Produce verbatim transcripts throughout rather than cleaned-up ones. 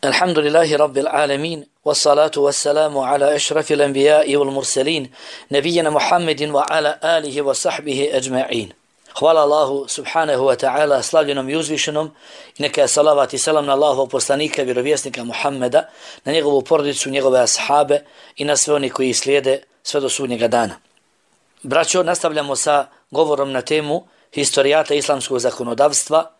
Alhamdulillahi Rabbil Alamin, wassalatu wassalamu ala ešrafil anbiya'i wal mursalin, nabijena Muhammedin wa ala alihi wa sahbihi ajma'in. Hvala Allahu subhanahu wa ta'ala, slavljenom i uzvišenom, i neka je salavat i salam na Allahovog poslanika, vjerovjesnika Muhammeda, na njegovu porodicu, njegove ashabe i na sve oni koji slijede sve do sudnjega dana. Braćo, nastavljamo sa govorom na temu historijata islamskog zakonodavstva.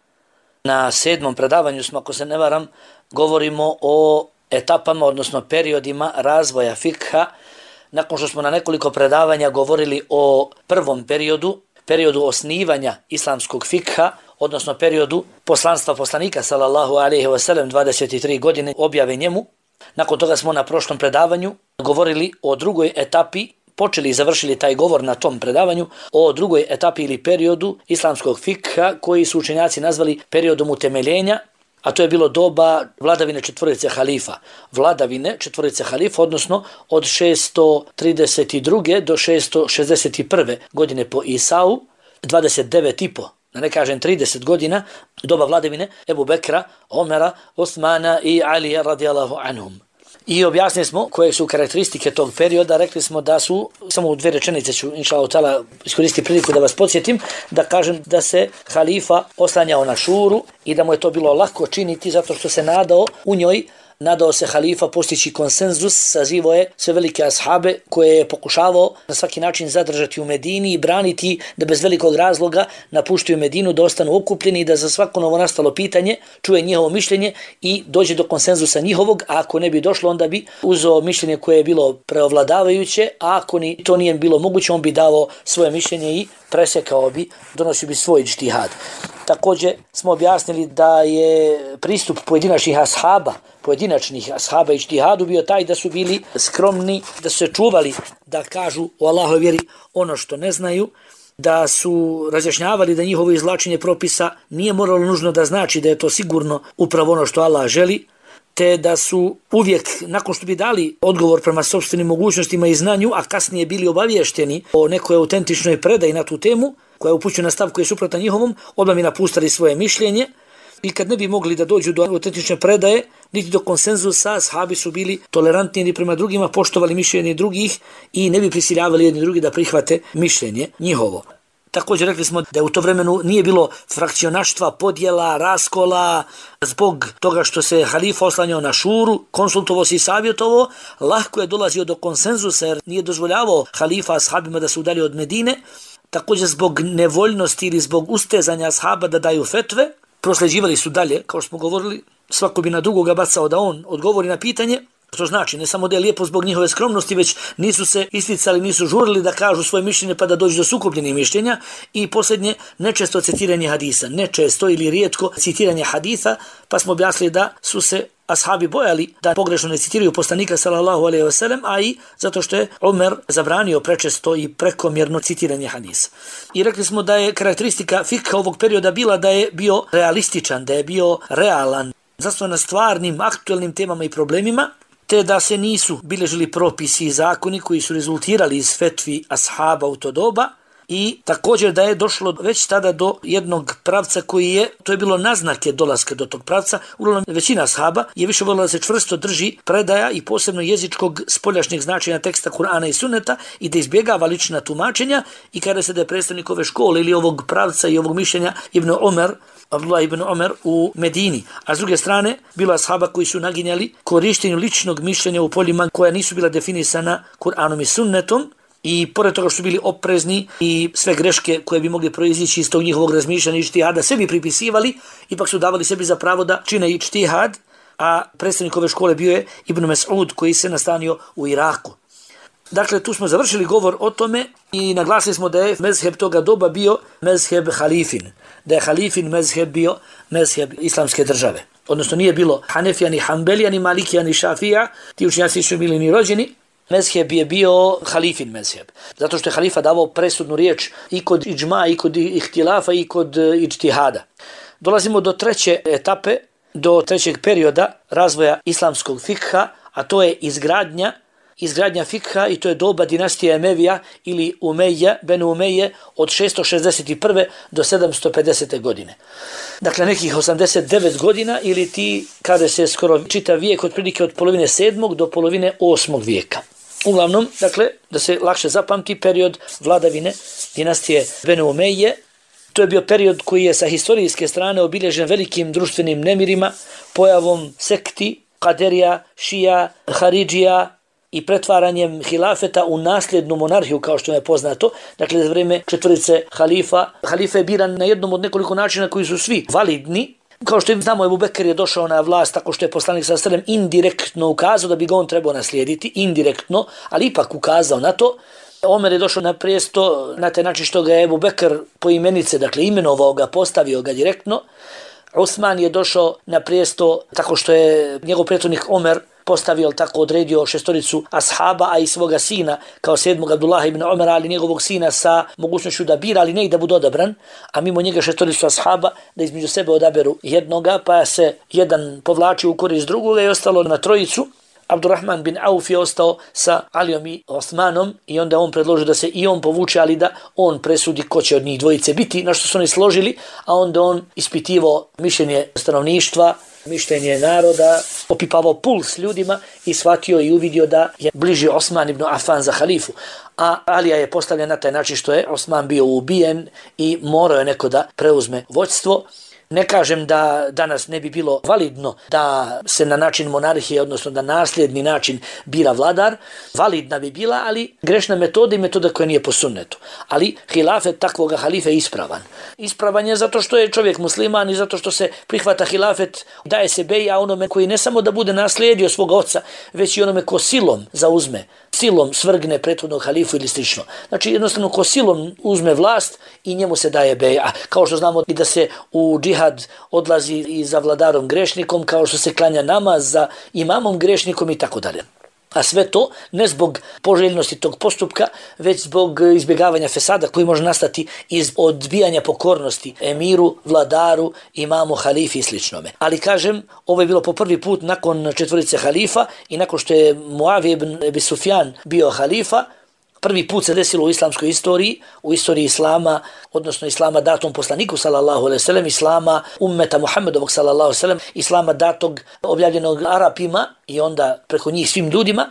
Na sedmom predavanju smo, ako se ne varam, govorimo o etapama, odnosno periodima razvoja fikha. Nakon što smo na nekoliko predavanja govorili o prvom periodu, periodu osnivanja islamskog fikha, odnosno periodu poslanstva poslanika sallallahu alejhi ve sellem, dvadeset tri godine objave njemu. Nakon toga smo na prošlom predavanju govorili o drugoj etapi, počeli i završili taj govor na tom predavanju, o drugoj etapi ili periodu islamskog fikha koji su učenjaci nazvali periodom utemeljenja, a to je bilo doba vladavine četvorice halifa. Vladavine četvorice halifa, odnosno od šesto trideset druge do šesto šezdeset prve godine po Isau, dvadeset devet i po, da ne kažem trideset godina, doba vladavine Ebu Bekra, Omera, Osmana i Alija radijallahu anhum. I objasnili smo koje su karakteristike tog perioda, rekli smo da su, samo u dve rečenice ću inšallahu ta'ala iskoristiti priliku da vas podsjetim, da kažem da se halifa oslanjao na šuru i da mu je to bilo lako činiti zato što se nadao u njoj, nadao se halifa postići konsenzus, sazivo je sve velike ashabe koje je pokušavao na svaki način zadržati u Medini i braniti da bez velikog razloga napuštaju Medinu, da ostanu okupljeni i da za svako novo nastalo pitanje čuje njihovo mišljenje i dođe do konsenzusa njihovog, a ako ne bi došlo onda bi uzeo mišljenje koje je bilo preovladavajuće, a ako ni to nije bilo moguće on bi dao svoje mišljenje i presekao bi, donosio bi svoj džtihad. Također smo objasnili da je pristup pojedinačnih ashaba, pojedinačnih ashaba i džtihadu bio taj da su bili skromni, da su se čuvali da kažu o Allahove vjeri ono što ne znaju, da su razjašnjavali da njihovo izvlačenje propisa nije moralo nužno da znači da je to sigurno upravo ono što Allah želi, te da su uvijek, nakon što bi dali odgovor prema sopstvenim mogućnostima i znanju, a kasnije bili obavješteni o nekoj autentičnoj predaji na tu temu, koja upućuje na stav koji je suprotan njihovom, odmah bi napustali svoje mišljenje i kad ne bi mogli da dođu do autentične predaje, niti do konsenzusa, ashabi su bili tolerantni jedni prema drugima, poštovali mišljenje drugih i ne bi prisiljavali jedni drugi da prihvate mišljenje njihovo. Također rekli smo da u to vremenu nije bilo frakcionaštva, podjela, raskola, zbog toga što se halifa oslanjao na šuru, konsultovao se i savjetovao, lahko je dolazio do konsenzusa jer nije dozvoljavao halifa ashabima da se udalji od Medine. Također zbog nevoljnosti ili zbog ustezanja ashaba da daju fetve, prosleđivali su dalje, kao što smo govorili, svako bi na drugoga bacao da on odgovori na pitanje, što znači ne samo da je lijepo zbog njihove skromnosti, već nisu se isticali, nisu žurili da kažu svoje mišljenje pa da dođu do sukobljenih mišljenja. I posljednje, nečesto citiranje hadisa, nečesto ili rijetko citiranje hadisa, pa smo objasnili da su se ashabi bojali da pogrešno ne citiraju poslanika sallallahu alejhi ve sellem, a i zato što je Omer zabranio prečesto i prekomjerno citiranje hadisa. I rekli smo da je karakteristika fikha ovog perioda bila da je bio realističan, da je bio realan, zasnovan na stvarnim, aktuelnim temama i problemima, te da se nisu bilježili propisi i zakoni koji su rezultirali iz fetvi ashaba u to doba. I također da je došlo već tada do jednog pravca koji je, to je bilo naznake dolaska do tog pravca, uglavnom većina ashaba je više voljela da se čvrsto drži predaja i posebno jezičkog spoljašnjeg značenja teksta Kur'ana i Sunneta i da izbjegava lična tumačenja i kada se da je predstavnik ove škole ili ovog pravca i ovog mišljenja Ibn Omer, Abdullah ibn Omer u Medini. A s druge strane, bilo ashaba koji su naginjali korištenju ličnog mišljenja u poljima koja nisu bila definisana Kur'anom i Sunnetom, i pored toga što su bili oprezni i sve greške koje bi mogli proizići iz tog njihovog razmišljanja i ijtihada sebi pripisivali, ipak su davali sebi za pravo da čine ijtihad, a predstavnik ove škole bio je Ibn Mes'ud koji se nastanio u Iraku. Dakle, tu smo završili govor o tome i naglasili smo da je mezheb toga doba bio mezheb halifin, da je halifin mezheb bio mezheb islamske države. Odnosno nije bilo Hanefija, ni Hanbelija, ni Malikija, ni Šafija, ti učenjaci nisu bili ni rođeni. Mezheb je bio halifin mezheb, zato što je halifa davao presudnu riječ i kod iđma, i kod ihtilafa, i kod ijtihada. Dolazimo do treće etape, do trećeg perioda razvoja islamskog fikha, a to je izgradnja izgradnja fikha i to je doba dinastije Emevija ili Umeja, Benu Umeje od šesto šezdeset prve do sedamsto pedesete godine. Dakle, nekih osamdeset devet godina ili ti, kada se skoro čitav vijek otprilike od polovine sedmog do polovine osmog vijeka. Uglavnom, dakle, da se lakše zapamti period vladavine dinastije Benu Umeje. To je bio period koji je sa historijske strane obilježen velikim društvenim nemirima, pojavom sekti, kaderija, šija, haridžija i pretvaranjem hilafeta u nasljednu monarhiju, kao što je poznato. Dakle, za vrijeme četvorice halifa, halifa je biran na jednom od nekoliko načina koji su svi validni. Kao što znamo, Ebu Bekr je došao na vlast tako što je poslanik sallallahu alejhi ve sellem indirektno ukazao da bi ga on trebao naslijediti, indirektno, ali ipak ukazao na to. Omer je došao na prijesto na taj način što ga je Ebu Bekr po imenice, dakle imenovao ga, postavio ga direktno. Osman je došao na prijesto tako što je njegov prethodnik Omer postavio, tako odredio šestoricu ashaba, a i svoga sina kao sedmog Abdullah ibn Omera, ali njegovog sina sa mogućnošću da bira, ali ne i da bude odabran, a mimo njega šestoricu ashaba da između sebe odaberu jednoga, pa se jedan povlačio u korist drugoga i ostalo na trojicu. Abdurrahman bin Auf je ostao sa Alijom i Osmanom i onda on predložio da se i on povuče, ali da on presudi ko će od njih dvojice biti, na što su oni složili, a onda on ispitivao mišljenje stanovništva, mišljenje naroda, opipavao puls ljudima i shvatio i uvidio da je bliži Osman ibn Affan za halifu. A Alija je postavljen na taj način što je Osman bio ubijen i morao je neko da preuzme vođstvo. Ne kažem da danas ne bi bilo validno da se na način monarhije, odnosno da nasljedni način bira vladar, validna bi bila, ali grešna metoda i metoda koja nije po sunnetu. Ali hilafet takvoga halife je ispravan. Ispravan je zato što je čovjek musliman i zato što se prihvata hilafet, daje se beja onome koji ne samo da bude naslijedio svoga oca, već i onome ko silom zauzme, silom svrgne prethodnog halifu ili slično. Znači jednostavno ko silom uzme vlast i njemu se daje beja. Kao što znamo i da se u džihad odlazi i za vladarom grešnikom, kao što se klanja namaz za imamom grešnikom i tako dalje. A sve to ne zbog poželjnosti tog postupka, već zbog izbjegavanja fesada koji može nastati iz odbijanja pokornosti emiru, vladaru, imamu, halifi i sličnome. Ali kažem, ovo je bilo po prvi put nakon četvorice halifa i nakon što je Muavije ibn Ebi Sufjan bio halifa, prvi put se desilo u islamskoj istoriji, u istoriji islama, odnosno islama datom poslaniku sallallahu alejhi ve sellem, islama ummeta Muhammedovog sallallahu alejhi ve sellem, islama datog objavljenog Arapima i onda preko njih svim ljudima.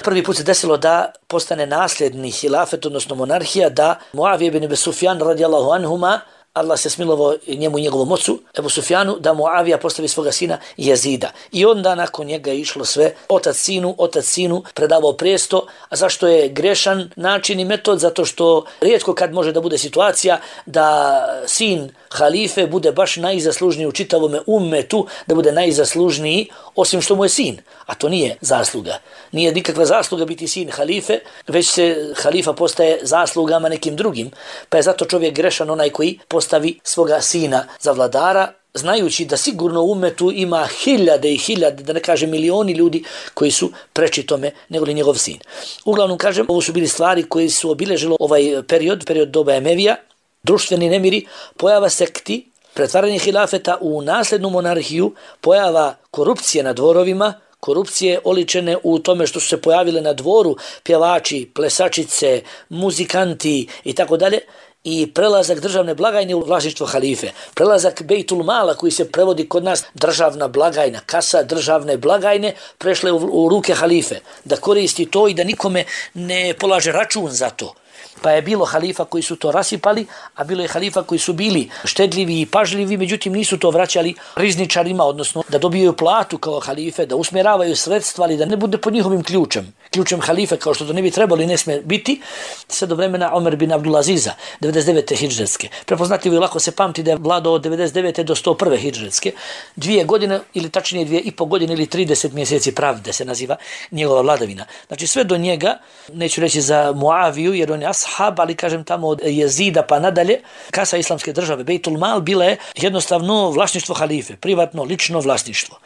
Prvi put se desilo da postane nasljedni hilafet, odnosno monarhija, da Muavije ibn Ebi Sufjan radijallahu anhuma, Allah se smilovao njemu i njegovom ocu, Ebu Sufjanu, da Muavija postavi svoga sina Jezida. I onda nakon njega je išlo sve otac sinu, otac sinu predavao prijesto. A zašto je grešan način i metod? Zato što rijetko kad može da bude situacija da sin halife bude baš najzaslužniji u čitavome ummetu, da bude najzaslužniji osim što mu je sin. A to nije zasluga. Nije nikakva zasluga biti sin halife, već se halifa postaje zaslugama nekim drugim. Pa je zato čovjek grešan onaj koji postavi svoga sina za vladara, znajući da sigurno u ummetu ima hiljade i hiljade, da ne kažem milioni ljudi koji su preči tome nego li njegov sin. Uglavnom kažem, ovo su bili stvari koji su obilježilo ovaj period, period doba Emevija, društveni nemiri, pojava sekti, pretvaranje hilafeta u nasljednu monarhiju, pojava korupcije na dvorovima, korupcije oličene u tome što su se pojavile na dvoru pjevači, plesačice, muzikanti i tako dalje, i prelazak državne blagajne u vlasništvo halife. Prelazak Bejtul Mala, koji se prevodi kod nas državna blagajna, kasa državne blagajne, prešle u, u ruke halife, da koristi to i da nikome ne polaže račun za to. Pa je bilo halifa koji su to rasipali, a bilo je halifa koji su bili štedljivi i pažljivi, međutim nisu to vraćali rizničarima, odnosno da dobijaju platu kao halife, da usmjeravaju sredstva, ali da ne bude pod njihovim ključem. Ključem halife, kao što to ne bi trebalo i ne sme biti, sve do vremena Omer bin Abdulaziza, devedeset devete hidžretske. Prepoznatljivo i lako se pamti da je vladao od devedeset devete do sto prve hidžretske. Dvije godine, ili tačnije dvije i po godine, ili trideset mjeseci pravde se naziva njegova vladavina. Znači sve do njega, neću reći za Muaviju, jer on je ashab, ali kažem tamo od Jezida pa nadalje, kasa islamske države, Bejtul Mal, bila je jednostavno vlasništvo halife, privatno, lično vlasništvo.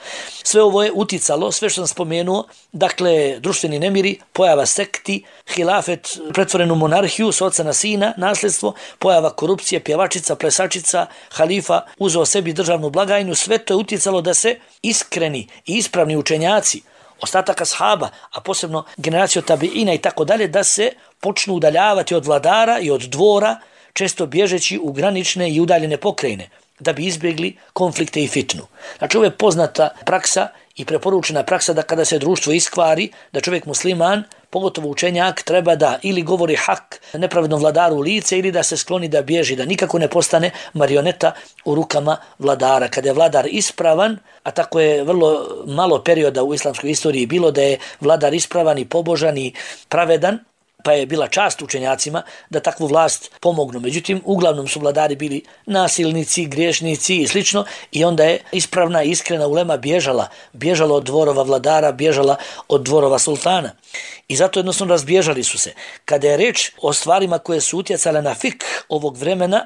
Sve ovo je uticalo, sve što sam spomenuo, dakle, društveni nemiri, pojava sekti, hilafet, pretvorenu monarhiju, s oca na sina, nasljedstvo, pojava korupcije, pjevačica, plesačica, halifa uzeo sebi državnu blagajnu, sve to je uticalo da se iskreni i ispravni učenjaci ostataka ashaba, a posebno generacija tabiina i tako dalje, da se počnu udaljavati od vladara i od dvora, često bježeći u granične i udaljene pokrajine, da bi izbjegli konflikte i fitnu. Znači, ovo je poznata praksa i preporučena praksa da kada se društvo iskvari, da čovjek musliman, pogotovo učenjak, treba da ili govori hak nepravednom vladaru u lice ili da se skloni da bježi, da nikako ne postane marioneta u rukama vladara. Kada je vladar ispravan, a tako je vrlo malo perioda u islamskoj istoriji bilo da je vladar ispravan i pobožan i pravedan, pa je bila čast učenjacima da takvu vlast pomognu. Međutim, uglavnom su vladari bili nasilnici, griješnici i slično, i onda je ispravna i iskrena ulema bježala, bježala od dvorova vladara, bježala od dvorova sultana. I zato jednostavno razbježali su se. Kada je reč o stvarima koje su utjecale na fik ovog vremena,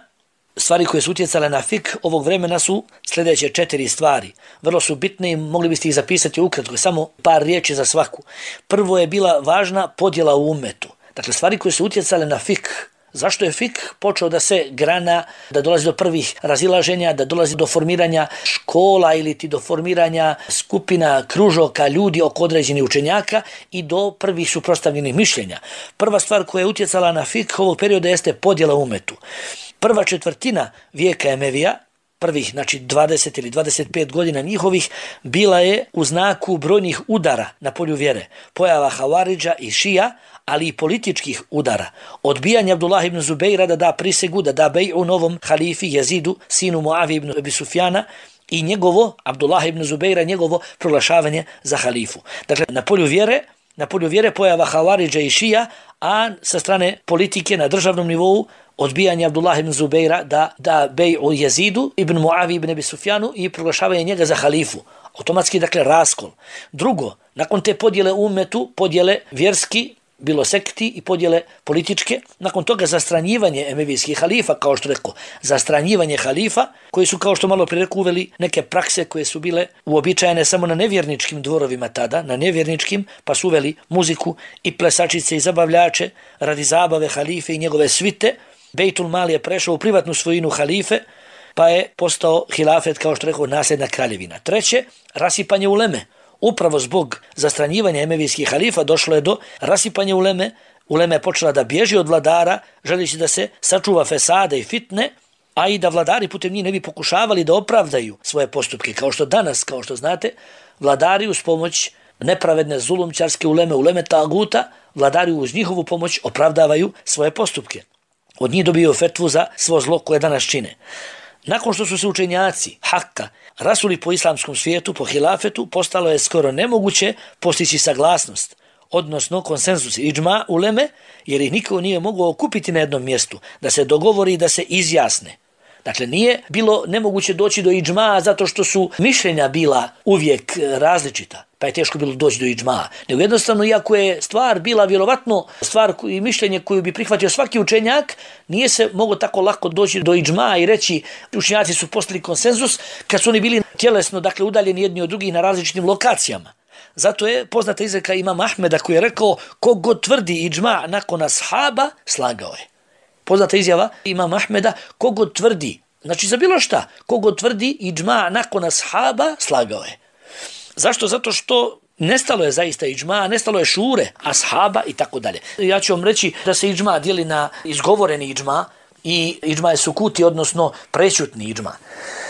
stvari koje su utjecale na fik ovog vremena su sljedeće četiri stvari. Vrlo su bitne i mogli biste ih zapisati ukratko, samo par riječi za svaku. Prvo je bila važna podjela u umetu. Dakle, stvari koje su utjecale na fik. Zašto je fik počeo da se grana, da dolazi do prvih razilaženja, da dolazi do formiranja škola ili ti do formiranja skupina, kružoka, ljudi oko određenih učenjaka i do prvih suprotstavljenih mišljenja. Prva stvar koja je utjecala na fik ovog perioda jeste podjela u umetu. Prva četvrtina vijeka Emevija, prvih, znači dvadeset ili dvadeset pet godina njihovih, bila je u znaku brojnih udara na polju vjere, pojava Havaridža i Šija, ali i političkih udara. Odbijanje Abdullah ibn Zubeira da da prisegu, da da bej'u novom halifi Jezidu, sinu Muavi ibn Abi Sufjana, i njegovo, Abdullah ibn Zubeira, njegovo proglašavanje za halifu. Dakle, na polju vjere, na polju vjere pojava Havaridža i Šija, a sa strane politike na državnom nivou odbijanje Abdullah ibn Zubeira da da bej'u Jezidu ibn Muavi ibn Abi Sufjanu i proglašavanje njega za halifu. Automatski, dakle, raskol. Drugo, nakon te podjele u umetu, podjele vjerski, bilo sekti i podjele političke, nakon toga zastranjivanje emevijskih halifa, kao što rekao, zastranjivanje halifa, koji su, kao što malo prije rekao, uveli neke prakse koje su bile uobičajene samo na nevjerničkim dvorovima tada, na nevjerničkim, pa su uveli muziku i plesačice i zabavljače radi zabave halife i njegove svite. Bejtul Mal je prešao u privatnu svojinu halife, pa je postao hilafet, kao što rekao, nasljedna kraljevina. Treće, rasipanje uleme. Upravo zbog zastranjivanja emevijskih halifa došlo je do rasipanja uleme. Uleme je počela da bježi od vladara, želeći da se sačuva fesade i fitne, a i da vladari putem njih ne bi pokušavali da opravdaju svoje postupke. Kao što danas, kao što znate, vladari uz pomoć nepravedne zulumčarske uleme, uleme taguta, vladari uz njihovu pomoć opravdavaju svoje postupke. Od njih dobiju fetvu za svo zlo koje danas čine. Nakon što su se učenjaci Hakka rasuli po islamskom svijetu, po hilafetu, postalo je skoro nemoguće postići saglasnost, odnosno konsenzus iđma uleme, jer ih niko nije mogao okupiti na jednom mjestu, da se dogovori i da se izjasne. Dakle, nije bilo nemoguće doći do iđma zato što su mišljenja bila uvijek različita, pa je teško bilo doći do iđma. Nego jednostavno, iako je stvar bila vjerovatno stvar i mišljenje koju bi prihvatio svaki učenjak, nije se moglo tako lako doći do iđma i reći učenjaci su postali konsenzus kad su oni bili tjelesno, dakle, udaljeni jedni od drugih na različitim lokacijama. Zato je poznata izreka imama Ahmeda koji je rekao: kogod tvrdi iđma nakon ashaba, slagao je. Poznata izjava imama Ahmeda: kogod tvrdi, znači za bilo šta, kogod tvrdi iđma nakon ashaba, slagao je. Zašto? Zato što nestalo je zaista iđma, nestalo je šure, ashaba i tako dalje. Ja ću vam reći da se iđma dijeli na izgovoreni iđma i iđma je sukuti, odnosno prešutni iđma.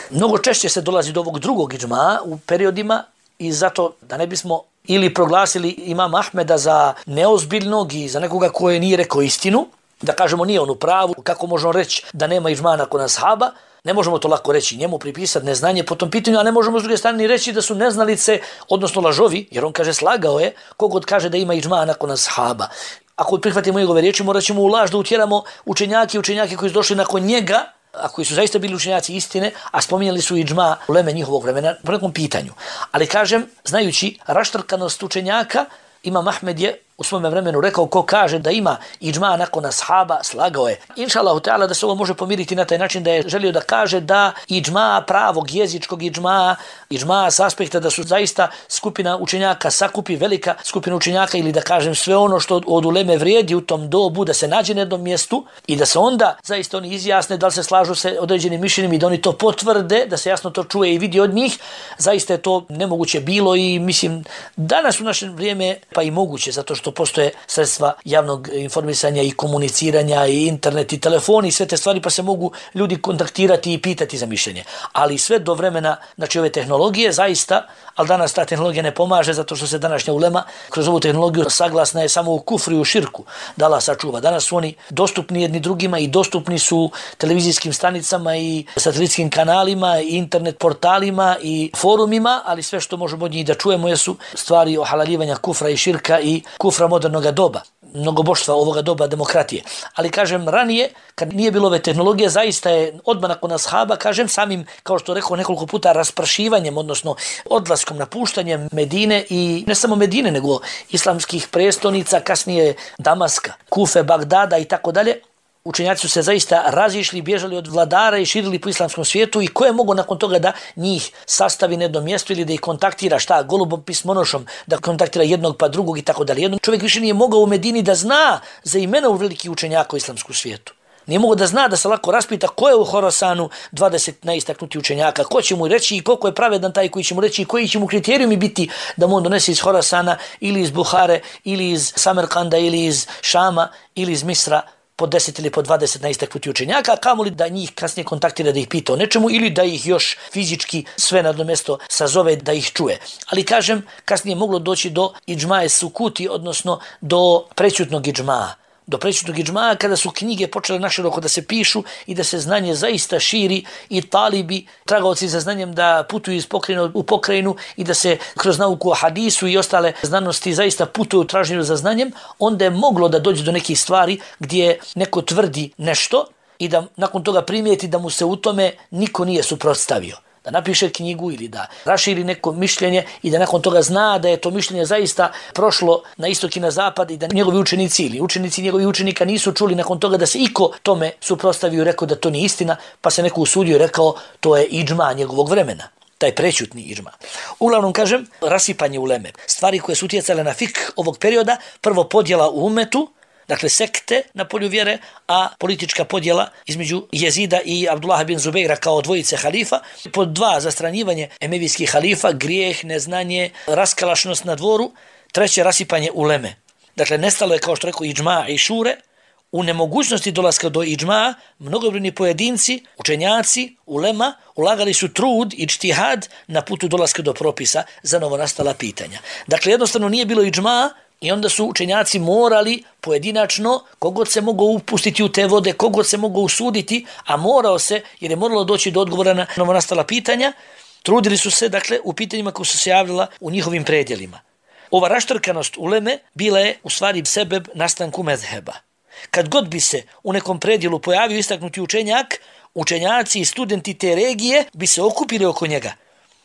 Mnogo češće se dolazi do ovog drugog iđma u periodima, i zato da ne bismo ili proglasili imama Ahmeda za neozbiljnog i za nekoga koji nije rekao istinu, da kažemo nije on u pravu, kako možemo reći da nema iđma nakon ashaba, ne možemo to lako reći, njemu pripisati neznanje po tom pitanju, a ne možemo s druge strane reći da su neznalice, odnosno lažovi, jer on kaže slagao je, kogod kaže da ima iđma nakon ashaba. Ako prihvatimo njegove riječi, morat ćemo u laž da utjeramo učenjaki, učenjaki koji su došli nakon njega, a koji su zaista bili učenjaci istine, a spominjali su iđma uleme njihovog vremena po nekom pitanju. Ali kažem, znajući raštrkanost učenjaka, imam Ahmed je u svome vremenu rekao, ko kaže da ima iđma nakon ashaba, slagao je. Inša Allahu ta'ala da se ovo može pomiriti na taj način da je želio da kaže da iđma pravog jezičkog iđma, iđma s aspekta da su zaista skupina učenjaka sakupi, velika skupina učenjaka ili da kažem sve ono što od uleme vrijedi u tom dobu, da se nađe na jednom mjestu i da se onda zaista oni izjasne da li se slažu se određenim mišljenjem i da oni to potvrde, da se jasno to čuje i vidi od njih. Zaista je to nemoguće bilo i mislim danas u naše vrijeme pa i moguće, zato što postoje sredstva javnog informisanja i komuniciranja i internet i telefoni i sve te stvari, pa se mogu ljudi kontaktirati i pitati za mišljenje. Ali sve do vremena, znači ove tehnologije zaista, ali danas ta tehnologija ne pomaže zato što se današnja ulema kroz ovu tehnologiju saglasna je samo u kufru i u širku da Allah sačuva. Danas su oni dostupni jedni drugima i dostupni su televizijskim stanicama i satelitskim kanalima i internet portalima i forumima, ali sve što možemo od njih da čujemo jesu stvari ohalalivanja kufra i širka i kufra modernog doba, mnogoboštva ovoga doba demokratije. Ali kažem ranije, kad nije bilo ove tehnologije, zaista je odmah nakon ashaba, kažem samim, kao što rekao nekoliko puta, rasprašivanjem, odnosno odlaskom, napuštanjem Medine i ne samo Medine, nego islamskih prestonica, kasnije Damaska, Kufe, Bagdada i tako dalje. Učenjaci su se zaista razišli, bježali od vladara i širili po islamskom svijetu i ko je mogao nakon toga da njih sastavi na jedno mjesto ili da ih kontaktira, šta, golubom pismonošom, da kontaktira jednog pa drugog i tako dalje. Jedan čovjek više nije mogao u Medini da zna za imena u veliki učenjaka u islamskom svijetu. Nije mogao da zna, da se lako raspita ko je u Horasanu dvadeset najistaknutih učenjaka, ko će mu reći i koliko je pravedan taj koji će mu reći i koji će mu kriterijumi biti da mu on donese iz Horasana ili iz Buhare ili iz Samerkanda ili iz Šama ili iz Misra po deset ili po dvadeset najistaknutih učenjaka, kamoli da njih kasnije kontaktira da ih pita o nečemu ili da ih još fizički sve na jedno mjesto sazove da ih čuje. Ali kažem, kasnije je moglo doći do iđmae sukuti, odnosno do prećutnog iđmaa. Do prećutnog iđmaa kada su knjige počele naširoko da se pišu i da se znanje zaista širi i talibi, tragaoci za znanjem da putuju iz pokrajine u pokrajinu i da se kroz nauku o hadisu i ostale znanosti zaista putuju u traženju za znanjem, onda je moglo da dođe do nekih stvari gdje neko tvrdi nešto i da nakon toga primijeti da mu se u tome niko nije suprotstavio. Da napiše knjigu ili da raširi neko mišljenje i da nakon toga zna da je to mišljenje zaista prošlo na istok i na zapad i da njegovi učenici ili učenici njegovi učenika nisu čuli nakon toga da se iko tome suprotstavio i rekao da to nije istina, pa se neko usudio i rekao to je iđma njegovog vremena, taj prećutni iđma. Uglavnom kažem, rasipanje uleme, stvari koje su utjecale na fik ovog perioda, prvo podjela u umetu, dakle sekte na polju vjere, a politička podjela između Jezida i Abdullaha bin Zubeira kao dvojice halifa. Pod dva, zastranjivanje emevijskih halifa, grijeh, neznanje, raskalašnost na dvoru. Treće, rasipanje uleme. Dakle, nestalo je, kao što rekao, iđma i šure. U nemogućnosti dolaska do iđma, mnogobrojni pojedinci, učenjaci, ulema, ulagali su trud i čtihad na putu dolaska do propisa za novonastala pitanja. Dakle, jednostavno nije bilo iđma, i onda su učenjaci morali pojedinačno, kogod se mogao upustiti u te vode, kogod se mogao usuditi, a morao se, jer je moralo doći do odgovora na novonastala pitanja, trudili su se, dakle, u pitanjima koja su se javljala u njihovim predjelima. Ova raštrkanost uleme bila je u stvari sebeb nastanku mezheba. Kad god bi se u nekom predjelu pojavio istaknuti učenjak, učenjaci i studenti te regije bi se okupili oko njega.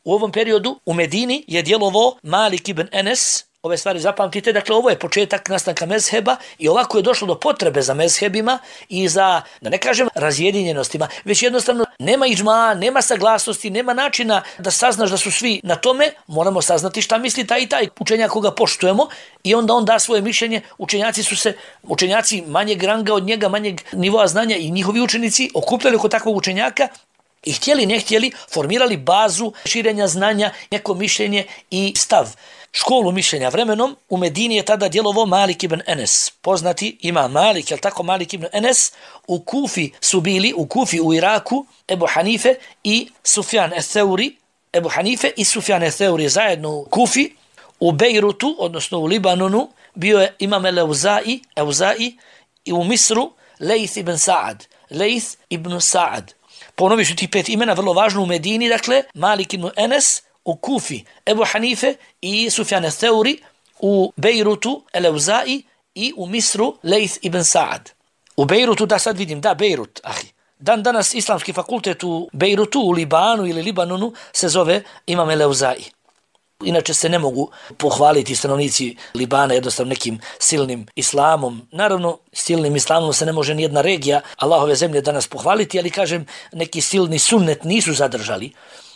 U ovom periodu u Medini je djelovao Malik ibn Enes. Ove stvari zapamtite, dakle ovo je početak nastanka mezheba i ovako je došlo do potrebe za mezhebima i za, da ne kažem, razjedinjenostima, već jednostavno nema iđma, nema saglasnosti, nema načina da saznaš da su svi na tome, moramo saznati šta misli taj i taj učenjak koga poštujemo i onda on da svoje mišljenje. Učenjaci su se, učenjaci manjeg ranga od njega, manjeg nivoa znanja i njihovi učenici okupljali oko takvog učenjaka i htjeli, ne htjeli, formirali bazu širenja znanja, neko mišljenje i stav. Školu mišljenja vremenom u Medini je tada djelovao Malik ibn Enes. Poznati ima Malik, jel tako, Malik ibn Enes. U Kufi su bili, u Kufi u Iraku, Ebu Hanife i Sufjan el-Theuri. Ebu Hanife i Sufjan el-Theuri zajedno u Kufi. U Bejrutu, odnosno u Libanonu, bio je imam el-Euzai, Euzai, i u Misru Lejth ibn Sa'ad. Lejth ibn Sa'ad. Ponovi su ti pet imena, vrlo važno u Medini, dakle, Malik ibn Enes, u Kufi Ebu Hanife i Sufjan el-Theuri, u Bejrutu el-Euzai i u Misru Lejth ibn Sa'ad. U Bejrutu, da sad vidim, da, Bejrut, ahi. Dan danas islamski fakultet u Bejrutu, u Libanu ili Libanonu se zove imam el-Euzai. Inače se ne mogu pohvaliti stanovnici Libana jednostavno nekim silnim islamom. Naravno, silnim islamom se ne može ni jedna regija Allahove zemlje danas pohvaliti, ali kažem, neki silni sunnet nisu zadržali.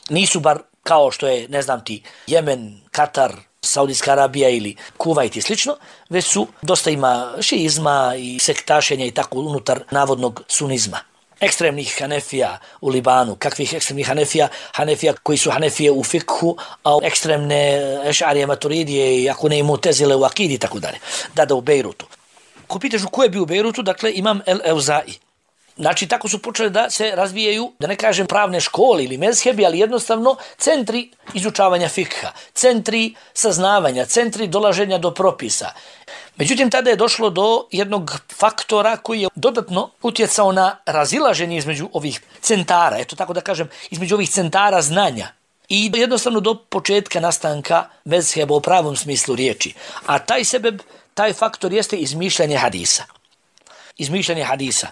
Nisu bar kao što je, ne znam ti, Jemen, Katar, Saudijska Arabija ili Kuvajt i slično, već su dosta ima šiizma i sektašenja i tako unutar navodnog sunizma. Ekstremnih Hanefija u Libanu. Kakvih ekstremnih Hanefija? Hanefija koji su Hanefije u fikhu, a ekstremne Ešarije, Maturidije i ako ne i Mutezile u akidi i tako dalje. Da, da u Bejrutu. Ko pitaš ko je bio u Bejrutu, dakle imam El Euzai. Znači, tako su počeli da se razvijaju, da ne kažem pravne škole ili mezhebi, ali jednostavno centri izučavanja fikha, centri saznavanja, centri dolaženja do propisa. Međutim, tada je došlo do jednog faktora koji je dodatno utjecao na razilaženje između ovih centara, eto tako da kažem, između ovih centara znanja i jednostavno do početka nastanka mezheba u pravom smislu riječi. A taj sebeb, taj faktor jeste izmišljanje hadisa. Izmišljanje hadisa.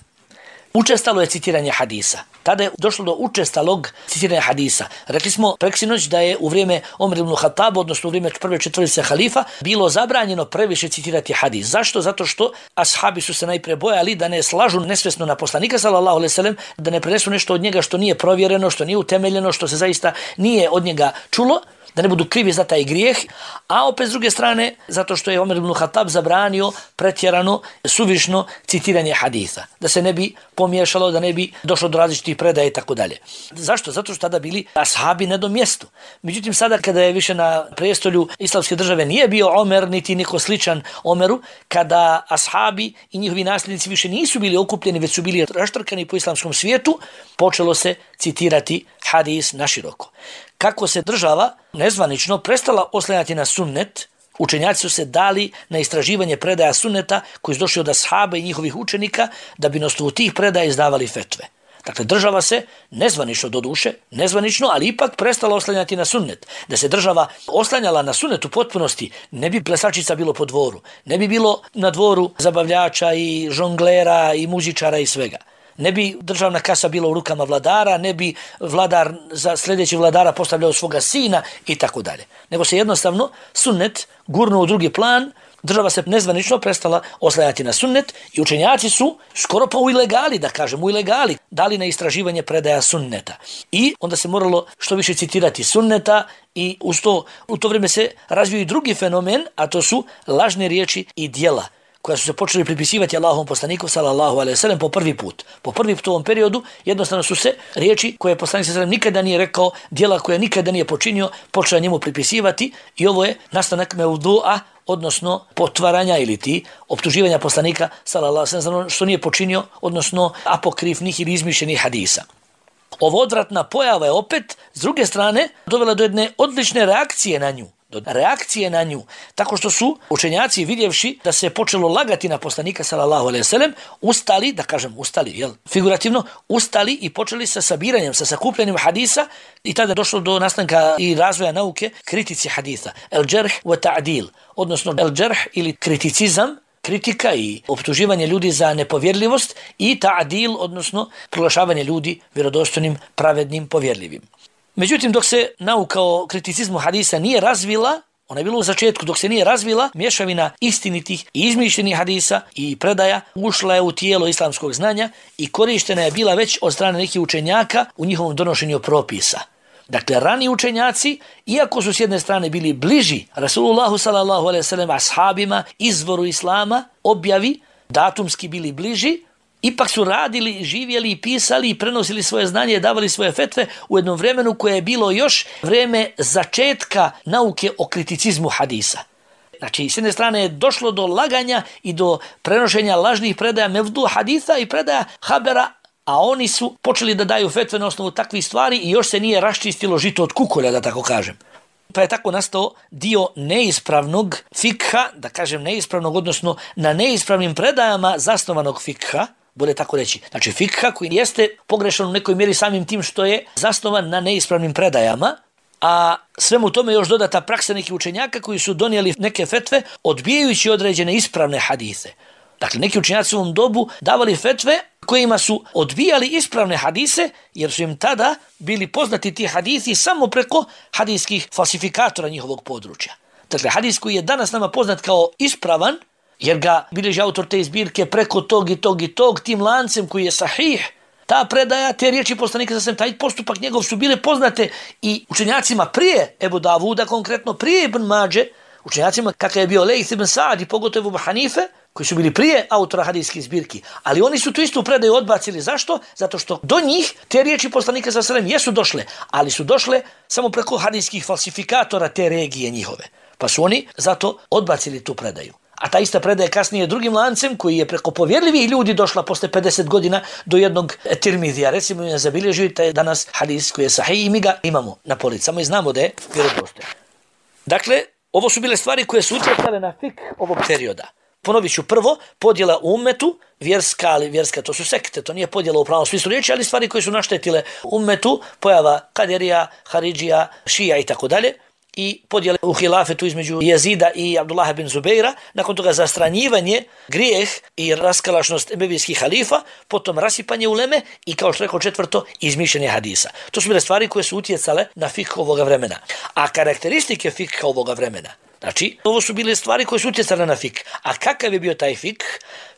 Učestalo je citiranje hadisa. Tada je došlo do učestalog citiranja hadisa. Rekli smo preksinoć da je u vrijeme Omer ibn Khattaba, odnosno u vrijeme prve četvorice halifa, bilo zabranjeno previše citirati hadis. Zašto? Zato što ashabi su se najprije bojali da ne slažu nesvjesno na poslanika sallallahu alejhi ve sellem, da ne prenesu nešto od njega što nije provjereno, što nije utemeljeno, što se zaista nije od njega čulo, da ne budu krivi za taj grijeh, a opet s druge strane, zato što je Omer ibn Khattab zabranio pretjerano, suvišno citiranje haditha, da se ne bi pomiješalo, da ne bi došlo do različitih predaja i tako dalje. Zašto? Zato što tada bili ashabi na tom mjestu. Međutim, sada kada je više na prestolju islamske države nije bio Omer, niti niko sličan Omeru, kada ashabi i njihovi nasljednici više nisu bili okupljeni, već su bili raštrkani po islamskom svijetu, počelo se citirati hadis naširoko. Kako se država nezvanično prestala oslanjati na sunnet, učenjaci su se dali na istraživanje predaja sunneta koji su došli od ashaba i njihovih učenika da bi na osnovu tih predaja izdavali fetve. Dakle, država se nezvanično do duše, nezvanično, ali ipak prestala oslanjati na sunnet. Da se država oslanjala na sunnet u potpunosti, ne bi plesačica bilo po dvoru, ne bi bilo na dvoru zabavljača i žonglera i muzičara i svega. Ne bi državna kasa bila u rukama vladara, ne bi vladar za sljedeći vladara postavljao svoga sina i tako dalje. Nego se jednostavno sunnet gurnuo u drugi plan, država se nezvanično prestala oslanjati na sunnet i učenjaci su skoro pa u ilegali, da kažem, u ilegali dali na istraživanje predaja sunneta. I onda se moralo što više citirati sunneta i uz to, u to vrijeme se razvio i drugi fenomen, a to su lažne riječi i djela koja su se počeli pripisivati Allahovom poslaniku sallallahu alejhi ve sellem po prvi put. Po prvi put u ovom periodu jednostavno su se riječi koje poslanik sallallahu alejhi ve sellem nikada nije rekao, djela koje nikada nije počinio, počela njemu pripisivati i ovo je nastanak mevdu'a, odnosno potvaranja ili ti optuživanja poslanika sallallahu alejhi ve sellem što nije počinio, odnosno apokrifnih ili izmišljenih hadisa. Ovo odvratna pojava je opet, s druge strane, dovela do jedne odlične reakcije na nju. Do reakcije na nju, tako što su učenjaci vidjevši da se počelo lagati na poslanika sallallahu alejhi ve sellem, ustali, da kažem ustali, jel, figurativno, ustali i počeli sa sabiranjem, sa sakupljanjem hadisa i tada je došlo do nastanka i razvoja nauke kritici hadisa, el džerh wa ta'dil, odnosno el džerh ili kriticizam, kritika i optuživanje ljudi za nepovjerljivost i ta'dil, odnosno proglašavanje ljudi vjerodostojnim, pravednim, povjerljivim. Međutim, dok se nauka o kriticizmu hadisa nije razvila, ona je bila u začetku, dok se nije razvila, mješavina istinitih i izmišljenih hadisa i predaja ušla je u tijelo islamskog znanja i korištena je bila već od strane nekih učenjaka u njihovom donošenju propisa. Dakle, rani učenjaci, iako su s jedne strane bili bliži Rasulullahu sallallahu alejhi ve sellem, ashabima, izvoru islama, objavi, datumski bili bliži, ipak su radili, živjeli i pisali i prenosili svoje znanje i davali svoje fetve u jednom vremenu koje je bilo još vreme začetka nauke o kriticizmu hadisa. Znači, s jedne strane je došlo do laganja i do prenošenja lažnih predaja mevdu haditha i predaja habera, a oni su počeli da daju fetve na osnovu takvih stvari i još se nije raščistilo žito od kukolja, da tako kažem. Pa je tako nastao dio neispravnog fikha, da kažem neispravnog, odnosno na neispravnim predajama zasnovanog fikha, bolje tako reći. Znači fikha koji jeste pogrešan u nekoj mjeri samim tim što je zasnovan na neispravnim predajama, a svemu tome još dodata praksa nekih učenjaka koji su donijeli neke fetve odbijajući određene ispravne hadise. Dakle, neki učenjaci u ovom dobu davali fetve, kojima su odbijali ispravne hadise, jer su im tada bili poznati ti hadisi samo preko hadijskih falsifikatora njihovog područja. Dakle, hadis koji je danas nama poznat kao ispravan, jer ga bilježi autor te zbirke preko tog i tog i tog, tim lancem koji je sahih, ta predaja, te riječi poslanika sa taj postupak njegov su bile poznate i učenjacima prije Ebu Davuda, konkretno prije Ibn Mađe, učenjacima kakav je bio Lejth ibn Sa'd i pogotovo Ebu Hanife, koji su bili prije autora hadijskih zbirki, ali oni su tu istu predaju odbacili. Zašto? Zato što do njih te riječi poslanika sa selem jesu došle, ali su došle samo preko hadijskih falsifikatora te regije njihove. Pa su oni zato odbacili tu predaju. A ta ista predaja kasnije drugim lancem koji je preko povjerljivih ljudi došla posle pedeset godina do jednog Tirmizija. Recimo je zabilježio taj danas hadis koji je sahih i mi ga imamo na policama i znamo da je vjerodostojan. Dakle, ovo su bile stvari koje su utjecale na fik ovog perioda. Ponovit ću prvo, podjela u ummetu, vjerska, ali vjerska to su sekte, to nije podjela u pravom smislu riječi, ali stvari koje su naštetile ummetu, pojava Kaderija, Haridžija, Šija i tako dalje. I podjele u hilafetu između Jezida i Abdullaha bin Zubeira, nakon toga zastranjivanje, grijeh i raskalašnost emevijskih halifa, potom rasipanje uleme i kao što rekao četvrto, izmišljanje hadisa. To su bile stvari koje su utjecale na fikh ovoga vremena. A karakteristike fikha ovoga vremena, znači, ovo su bile stvari koje su utjecale na fikh. A kakav je bio taj fikh?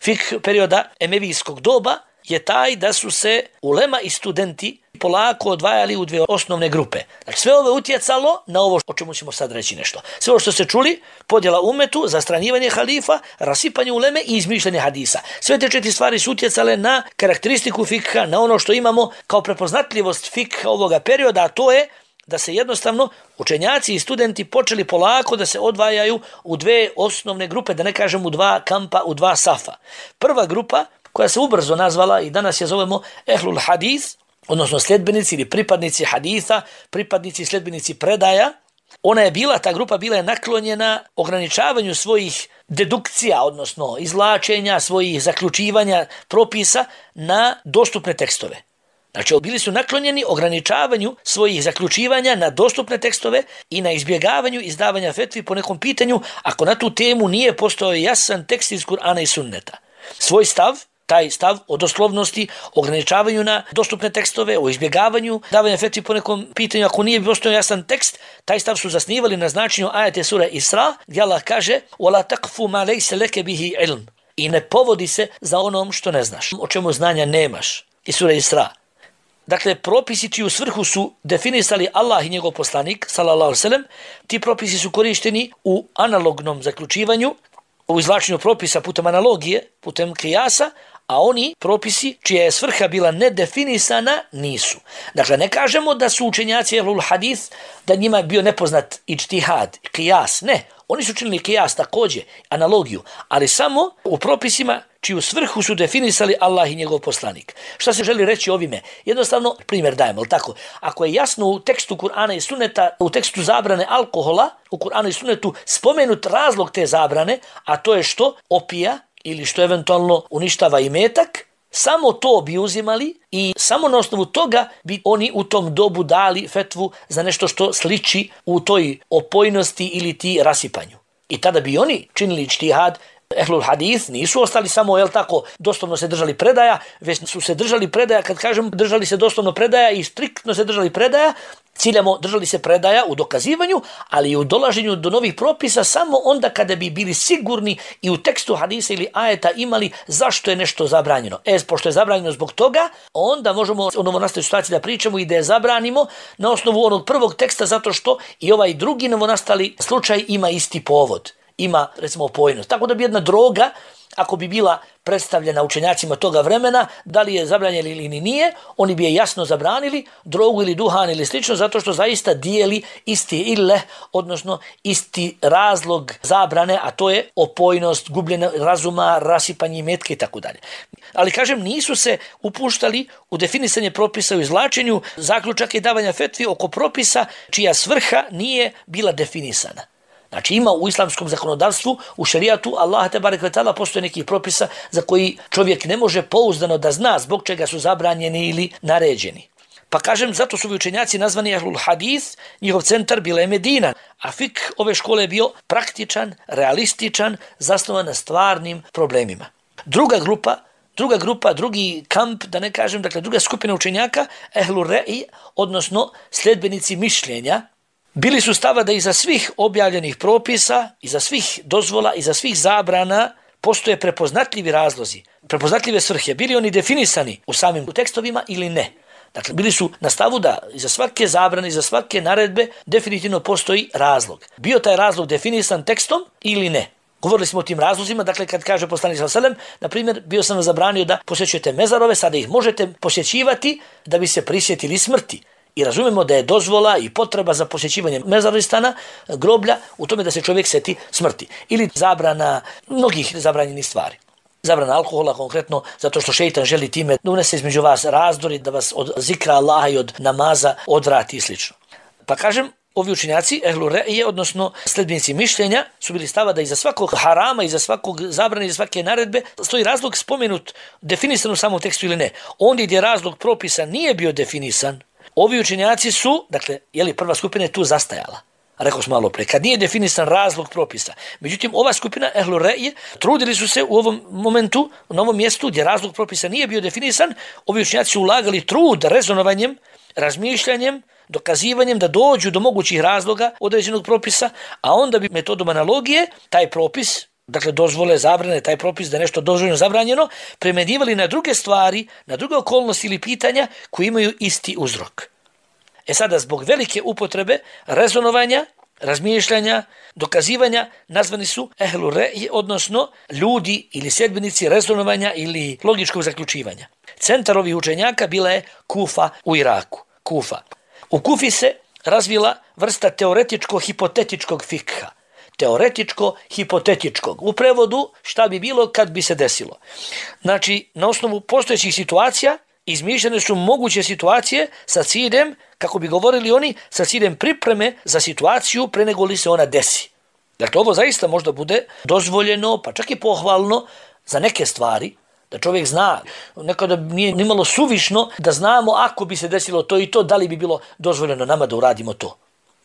Fikh perioda emevijskog doba je taj da su se ulema i studenti polako odvajali u dvije osnovne grupe. Znači, sve ovo je utjecalo na ovo o čemu ćemo sad reći nešto. Sve ovo što ste čuli, podjela umetu, zastranjivanje halifa, rasipanje uleme i izmišljanje hadisa. Sve te četiri stvari su utjecale na karakteristiku fikha, na ono što imamo kao prepoznatljivost fikha ovoga perioda, a to je da se jednostavno učenjaci i studenti počeli polako da se odvajaju u dve osnovne grupe, da ne kažem u dva kampa, u dva safa. Prva grupa, koja se ubrzo nazvala i danas je zovemo Ehlul Hadis, odnosno sljedbenici ili pripadnici haditha, pripadnici i sljedbenici predaja, ona je bila, ta grupa bila je naklonjena ograničavanju svojih dedukcija, odnosno izvlačenja, svojih zaključivanja propisa na dostupne tekstove. Znači, bili su naklonjeni ograničavanju svojih zaključivanja na dostupne tekstove i na izbjegavanju izdavanja fetvi po nekom pitanju ako na tu temu nije postojao jasan tekst iz Kur'ana i Sunneta. Svoj stav, taj stav o doslovnosti, ograničavanju na dostupne tekstove, o izbjegavanju davanja fetvi po nekom pitanju ako nije postojao jasan tekst, taj stav su zasnivali na značenju ajete sure Isra, gdje Allah kaže وَلَا تَقْفُ مَا لَيْسَ لَكَ بِهِ عِلْمٍ, i ne povodi se za onom što ne znaš, o čemu znanja nemaš. I sure Isra. Dakle, propisi čiju svrhu su definisali Allah i njegov poslanik, sallallahu alejhi ve sellem, ti propisi su korišteni u analognom zaključivanju, u izvlačenju propisa putem analogije, putem kijasa, a oni propisi čija je svrha bila nedefinisana nisu. Dakle, ne kažemo da su učenjaci Ehlul Hadith, da njima je bio nepoznat ičtihad, kijas, ne. Oni su činili kijas također, analogiju, ali samo u propisima čiju svrhu su definisali Allah i njegov poslanik. Šta se želi reći ovime? Jednostavno, primjer dajemo, ali tako? Ako je jasno u tekstu Kur'ana i Sunneta, u tekstu zabrane alkohola, u Kur'anu i Sunnetu spomenut razlog te zabrane, a to je što opija ili što eventualno uništava imetak, samo to bi uzimali i samo na osnovu toga bi oni u tom dobu dali fetvu za nešto što sliči u toj opojnosti ili ti rasipanju. I tada bi oni činili ičtihad. Ehlul Hadith nisu ostali samo, jel tako, doslovno se držali predaja, već su se držali predaja, kad kažem držali se doslovno predaja i striktno se držali predaja, ciljamo držali se predaja u dokazivanju, ali i u dolaženju do novih propisa samo onda kada bi bili sigurni i u tekstu hadisa ili ajeta imali zašto je nešto zabranjeno. E, pošto je zabranjeno zbog toga, onda možemo u novonastaloj situaciji da pričamo i da je zabranimo na osnovu onog prvog teksta, zato što i ovaj drugi novonastali slučaj ima isti povod. Ima, recimo, opojnost. Tako da bi jedna droga, ako bi bila predstavljena učenjacima toga vremena, da li je zabranjena ili nije, oni bi je jasno zabranili, drogu ili duhan ili slično, zato što zaista dijeli isti ille, odnosno isti razlog zabrane, a to je opojnost, gubljenje razuma, rasipanje imetka i tako dalje. Ali, kažem, nisu se upuštali u definisanje propisa u izvlačenju zaključaka i davanja fetvi oko propisa čija svrha nije bila definisana. Znači, ima u islamskom zakonodavstvu, u šerijatu, Allah te barek ve taala, postoje nekih propisa za koji čovjek ne može pouzdano da zna zbog čega su zabranjeni ili naređeni. Pa kažem, zato su učenjaci nazvani Ehlul Hadith, njihov centar bila je Medina, a fik ove škole je bio praktičan, realističan, zasnovan na stvarnim problemima. Druga grupa druga grupa, drugi kamp, da ne kažem, dakle druga skupina učenjaka, ehlu re'i, odnosno sljedbenici mišljenja, bili su stava da iza svih objavljenih propisa, iza svih dozvola, iza svih zabrana postoje prepoznatljivi razlozi, prepoznatljive svrhe, bili oni definisani u samim tekstovima ili ne. Dakle, bili su na stavu da iza svake zabrane, iza svake naredbe definitivno postoji razlog. Bio taj razlog definisan tekstom ili ne. Govorili smo o tim razlozima, dakle kad kaže poslanik sallallahu alejhi ve sellem, na primjer, bio sam zabranio da posjećujete mezarove, sada ih možete posjećivati da bi se prisjetili smrti. I razumemo da je dozvola i potreba za posjećivanje mezaristana, groblja, u tome da se čovjek seti smrti. Ili zabrana mnogih zabranjenih stvari. Zabrana alkohola konkretno, zato što šejtan želi time da unese između vas razdori, da vas od zikra Allaha i od namaza odvrati i slično. Pa kažem, ovi učenjaci, ehlu re'ije, odnosno sljedbenici mišljenja, su bili stava da iza svakog harama, iza svakog zabrane, iza svake naredbe, stoji razlog spomenut, definisan u samom tekstu ili ne. Ondje gdje razlog propisa nije bio definisan, ovi učenjaci su, dakle, jeli prva skupina je tu zastajala. Rekao smo malo pre, kad nije definisan razlog propisa. Međutim, ova skupina ehlu re'ije trudili su se u ovom momentu, na ovom mjestu gdje razlog propisa nije bio definisan, ovi učenjaci su ulagali trud rezonovanjem, razmišljanjem, dokazivanjem da dođu do mogućih razloga određenog propisa, a onda bi metodom analogije taj propis, dakle dozvole, zabrane, taj propis da je nešto dozvoljeno zabranjeno, primjenjivali na druge stvari, na druge okolnosti ili pitanja koji imaju isti uzrok. E sada, zbog velike upotrebe rezonovanja, razmišljanja, dokazivanja, nazvani su ehlu re'ije, odnosno ljudi ili sljedbenici rezonovanja ili logičkog zaključivanja. Centar ovih učenjaka bila je Kufa u Iraku. Kufa. U Kufi se razvila vrsta teoretičko-hipotetičkog fikha. Teoretičko-hipotetičkog. U prevodu šta bi bilo kad bi se desilo. Znači, na osnovu postojećih situacija izmišljene su moguće situacije sa ciljem, kako bi govorili oni, sa ciljem pripreme za situaciju pre nego li se ona desi. Dakle, ovo zaista možda bude dozvoljeno, pa čak i pohvalno za neke stvari, da čovjek zna, nekada nije nimalo suvišno da znamo ako bi se desilo to i to, da li bi bilo dozvoljeno nama da uradimo to.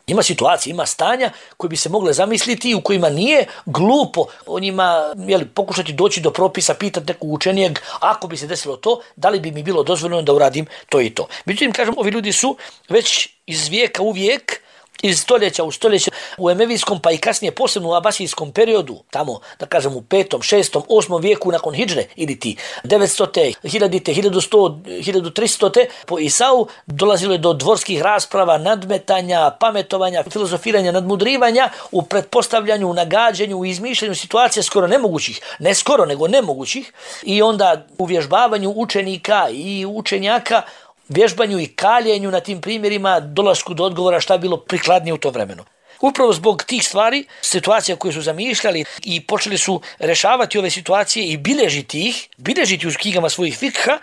Ima situacija, ima stanja koje bi se mogle zamisliti i u kojima nije glupo o njima jeli, pokušati doći do propisa, pitati nekog učenijeg, ako bi se desilo to, da li bi mi bilo dozvoljeno da uradim to i to. Međutim, kažem, ovi ljudi su već iz vijeka u vijek, iz stoljeća u stoljeće, u emevijskom pa i kasnije posebno u abasijskom periodu, tamo da kažem u petom, šestom, osmom vijeku nakon hidžre ili ti devetstote, hiljadite, hiljadu sto, hiljadu tristote po Isau dolazilo je do dvorskih rasprava, nadmetanja, pametovanja, filozofiranja, nadmudrivanja u pretpostavljanju, u nagađanju, u izmišljanju situacija skoro nemogućih, ne skoro nego nemogućih i onda u vježbavanju učenika i učenjaka, vježbanju i kaljenju na tim primjerima, dolasku do odgovora šta je bilo prikladnije u tom vremenu. Upravo zbog tih stvari, situacija koje su zamišljali i počeli su rešavati ove situacije i bilježiti ih, bilježiti u knjigama svojih fikha,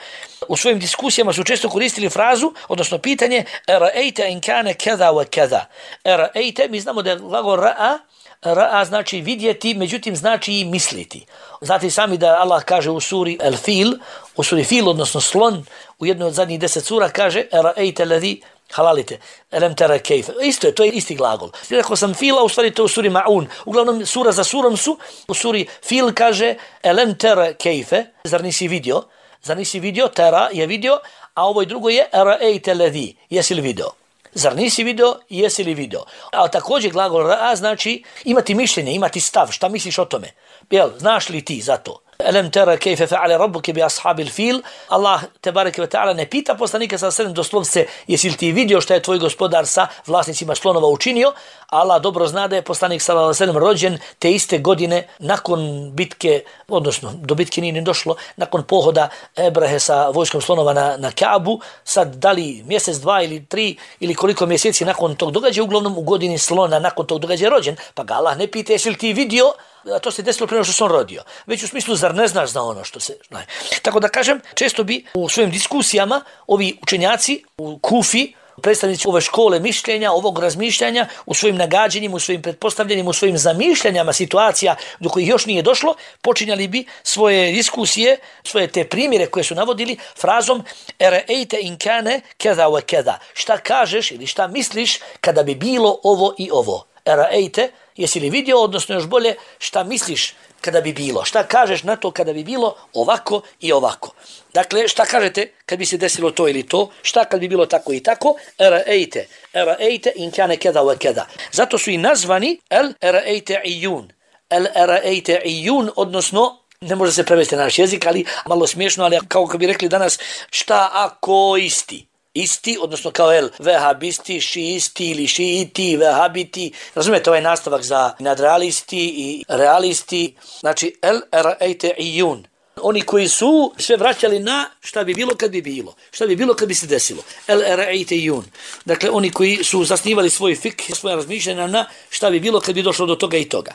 u svojim diskusijama su često koristili frazu, odnosno pitanje era'ejte in kane kada wa kada. Era'ejte, mi znamo da je glagol ra'a, ra'a znači vidjeti, međutim znači i misliti. Znate sami da Allah kaže u suri Al-Fil, u suri Fil, odnosno slon, u jednoj od zadnjih deset sura kaže era'ejte ladhi halalite, elem tera kejfe. Isto je, to je isti glagol. Rekao sam fila, u stvari to je u suri Ma'un. Uglavnom, sura za surom su, u suri Fil kaže elem tera kejfe, zar nisi vidio? Zar nisi vidio? Tera je vidio, a ovo drugo je era'ejte ladhi, jesi li vidio? Zar nisi vidio, jesi li vidio? A također glagol ra'a znači imati mišljenje, imati stav, šta misliš o tome? Jel, znaš li ti za to? Elem tera kejfe fa'ale rabbuke bi ashabil fil. Allah tebareke ve ta'ala ne pita poslanika sallallahu alejhi ve sellem doslovce jesi li ti vidio šta je tvoj gospodar sa vlasnicima slonova učinio. Allah dobro zna da je poslanik sallallahu alejhi ve sellem rođen te iste godine nakon bitke, odnosno do bitke nije ni došlo, nakon pohoda Ebrehe sa vojskom slonova na, na Kaabu, sad da li mjesec, dva ili tri ili koliko mjeseci nakon tog događaja, uglavnom u godini slona nakon tog događaja rođen, pa ga Allah ne pita jesi li ti vidio, a to se desilo prije što se on rodio. Već u smislu, zar ne znaš za ono što se... Ne. Tako da kažem, često bi u svojim diskusijama ovi učenjaci u Kufi, predstavnici ove škole mišljenja, ovog razmišljanja, u svojim nagađanjima, u svojim pretpostavljanjima, u svojim zamišljanjama situacija do kojih još nije došlo, počinjali bi svoje diskusije, svoje te primjere koje su navodili frazom era'ejte in kane kada wa kada. Šta kažeš ili šta misliš kada bi bilo ovo i ovo? Era'ejte, jesi li vidio, odnosno još bolje, šta misliš kada bi bilo? Šta kažeš na to kada bi bilo ovako i ovako? Dakle, šta kažete kad bi se desilo to ili to? Šta kad bi bilo tako i tako? Era'ejte, era'ejte in kane keda wa keda. Zato su i nazvani el era'ejte ijun. El era'ejte ijun, odnosno, ne može se prevesti na naš jezik, ali malo smiješno, ali kao kad bi rekli danas, šta ako isti? Isti, odnosno kao el vehabisti, šiisti ili šiiti, vehabiti. Razumijete ovaj nastavak za nadrealisti i realisti. Znači, el era'ejte ijun. Oni koji su sve vraćali na šta bi bilo kad bi bilo. Šta bi bilo kad bi se desilo. El era'ejte ijun. Dakle, oni koji su zasnivali svoj fik, svoje razmišljanja na šta bi bilo kad bi došlo do toga i toga.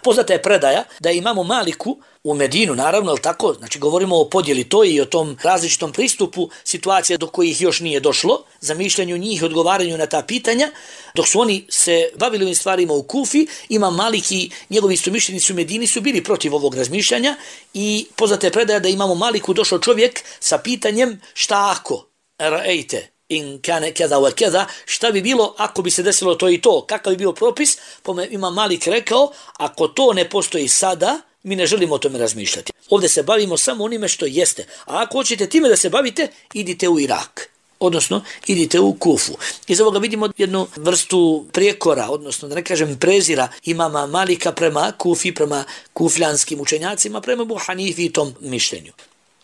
Poznata je predaja da imamo Maliku u Medinu, naravno, ali tako, znači govorimo o podjeli to i o tom različitom pristupu situacija do kojih još nije došlo, za mišljenju njih, odgovaranju na ta pitanja, dok su oni se bavili ovim stvarima u Kufi, ima Malik i njegovi istomišljenici u Medini su bili protiv ovog razmišljanja i poznata je predaja da imamo Maliku došao čovjek sa pitanjem šta ako, ra'ejte, in kane keda wa keda, šta bi bilo ako bi se desilo to i to, kakav bi bio propis, pa ima Malik rekao, ako to ne postoji sada, mi ne želimo o tome razmišljati. Ovdje se bavimo samo onime što jeste, a ako hoćete time da se bavite, idite u Irak, odnosno idite u Kufu. Iz ovoga vidimo jednu vrstu prijekora, odnosno da ne kažem prezira imama Malika prema Kufi, prema kufljanskim učenjacima, prema Ebu Hanifi i tom mišljenju.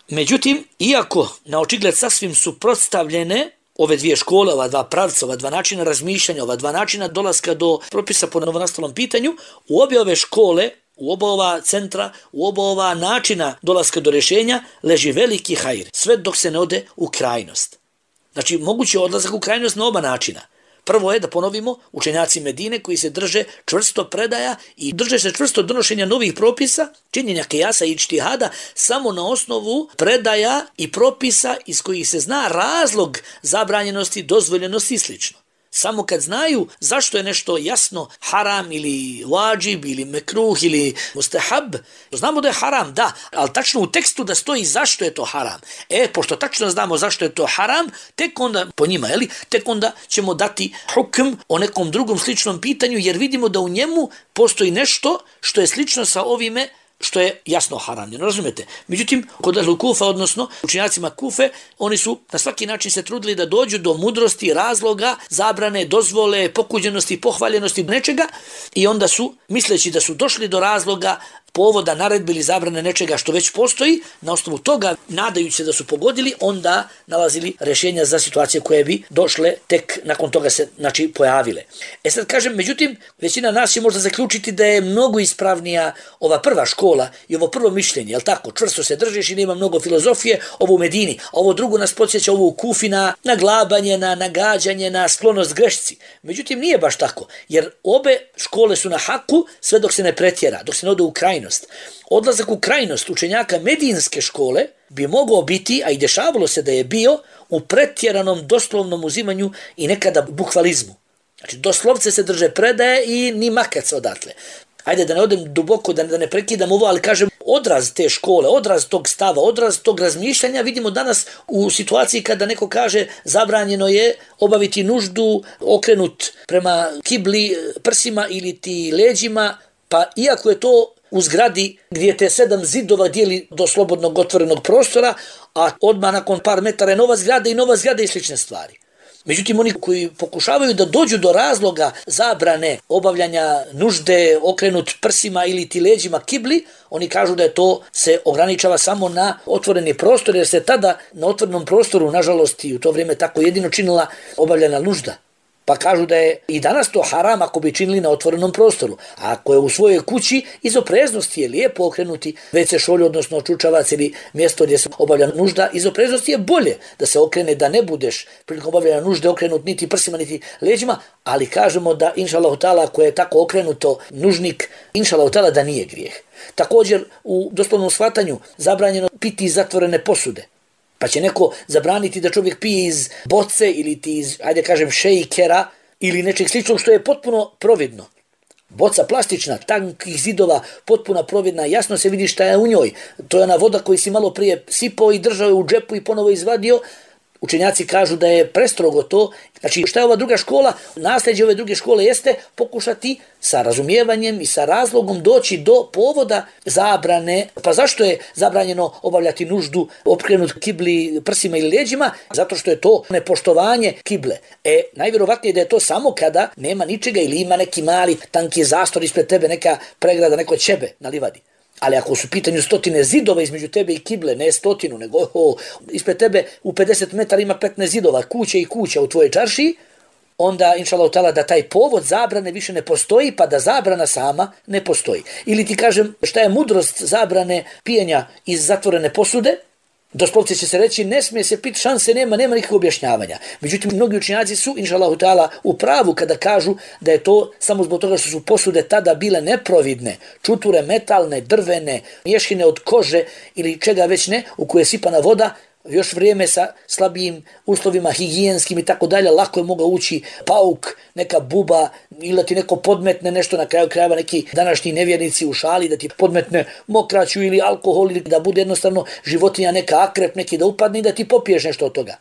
Međutim, iako na očigled sasvim suprotstavljene ove dvije škole, ova dva pravca, ova dva načina razmišljanja, ova dva načina dolaska do propisa po novonastalom pitanju, u obje ove škole, u oba ova centra, u oba ova načina dolaska do rješenja leži veliki hajr, sve dok se ne ode u krajnost. Znači, moguće odlazak u krajnost na oba načina. Prvo je, da ponovimo, učenjaci Medine koji se drže čvrsto predaja i drže se čvrsto donošenja novih propisa, činjenja kijasa i ičtihada samo na osnovu predaja i propisa iz kojih se zna razlog zabranjenosti, dozvoljenosti i slično. Samo kad znaju zašto je nešto jasno haram ili vađib ili mekruh ili mustahab, znamo da je haram, da, ali tačno u tekstu da stoji zašto je to haram. E, pošto tačno znamo zašto je to haram, tek onda, po njima, jeli, tek onda ćemo dati hukm o nekom drugom sličnom pitanju, jer vidimo da u njemu postoji nešto što je slično sa ovime što je jasno haramljeno, razumete? Međutim, kod Ahlu Kufa, odnosno učenjacima Kufe, oni su na svaki način se trudili da dođu do mudrosti, razloga, zabrane, dozvole, pokuđenosti, pohvaljenosti nečega i onda su, misleći da su došli do razloga, povoda, naredbe ili zabrane nečega što već postoji, na osnovu toga, nadajući se da su pogodili, onda nalazili rješenja za situacije koje bi došle tek nakon toga se, znači, pojavile. E sad kažem, međutim, većina nas će možda zaključiti da je mnogo ispravnija ova prva škola i ovo prvo mišljenje, jel tako? Čvrsto se držiš i nema mnogo filozofije, ovo u Medini, a ovo drugo nas podsjeća ovo u Kufi na naglabanje, na nagađanje, na sklonost grešci. Međutim, nije baš tako, jer obe škole su na haku sve dok se ne pretjera, dok se ne ode u krajnost. Odlazak u krajnost učenjaka medinske škole bi mogao biti, a i dešavalo se da je bio, u pretjeranom doslovnom uzimanju i nekada bukvalizmu. Znači, doslovce se drže predaje i ni makac odatle. Ajde da ne odem duboko, da, da ne prekidam ovo, ali kažem, odraz te škole, odraz tog stava, odraz tog razmišljanja vidimo danas u situaciji kada neko kaže zabranjeno je obaviti nuždu okrenut prema kibli, prsima ili ti leđima, pa iako je to u zgradi gdje te sedam zidova dijeli do slobodnog otvorenog prostora, a odmah nakon par metara je nova zgrada i nova zgrada i slične stvari. Međutim, oni koji pokušavaju da dođu do razloga zabrane obavljanja nužde okrenut prsima ili ti leđima kibli, oni kažu da je to se ograničava samo na otvoreni prostor, jer se tada na otvorenom prostoru, nažalost i u to vrijeme tako jedino činila obavljena nužda. Pa kažu da je i danas to haram ako bi činili na otvorenom prostoru. A ako je u svojoj kući, iz opreznosti je lijepo okrenuti ve ce šolju, odnosno čučavac ili mjesto gdje se obavlja nužda, iz opreznosti je bolje da se okrene, da ne budeš prilikom obavljanja nužde okrenut niti prsima niti leđima, ali kažemo da inša Allahu ta'ala ako je tako okrenuto nužnik, inša Allahu ta'ala da nije grijeh. Također u doslovnom shvatanju zabranjeno piti iz zatvorene posude. Pa će neko zabraniti da čovjek pije iz boce ili ti iz, ajde kažem, šejkera ili nečeg sličnog što je potpuno providno. Boca plastična, tankih zidova, potpuna providna, jasno se vidi šta je u njoj. To je ona voda koju si malo prije sipao i držao je u džepu i ponovo izvadio. učenjaci kažu da je prestrogo to. Znači šta je ova druga škola? Nasljeđe ove druge škole jeste pokušati sa razumijevanjem i sa razlogom doći do povoda zabrane. Pa zašto je zabranjeno obavljati nuždu okrenut kibli prsima ili leđima? Zato što je to nepoštovanje kible. E, najvjerovatnije da je to samo kada nema ničega ili ima neki mali tanki zastor ispred tebe, neka pregrada, neko ćebe na livadi. Ali ako su u pitanju stotine zidova između tebe i kible, ne stotinu, nego oh, ispred tebe u pedeset metara ima petnaest zidova, kuće i kuća u tvojoj čaršiji, onda, inšallahu ta'ala, da taj povod zabrane više ne postoji, pa da zabrana sama ne postoji. Ili ti kažem šta je mudrost zabrane pijenja iz zatvorene posude, doslovce će se reći, ne smije se piti, šanse nema, nema nikakvog objašnjavanja. Međutim, mnogi učenjaci su, inšallahu ta'ala, u pravu kada kažu da je to samo zbog toga što su posude tada bile neprovidne, čuture metalne, drvene, mješine od kože ili čega već ne, u koje je sipana voda, još vrijeme sa slabijim uslovima higijenskim i tako dalje, lako je mogao ući pauk, neka buba ili ti neko podmetne nešto, na kraju krajeva neki današnji nevjernici u šali da ti podmetne mokraću ili alkohol ili da bude jednostavno životinja neka akrep neki da upadne i da ti popiješ nešto od toga.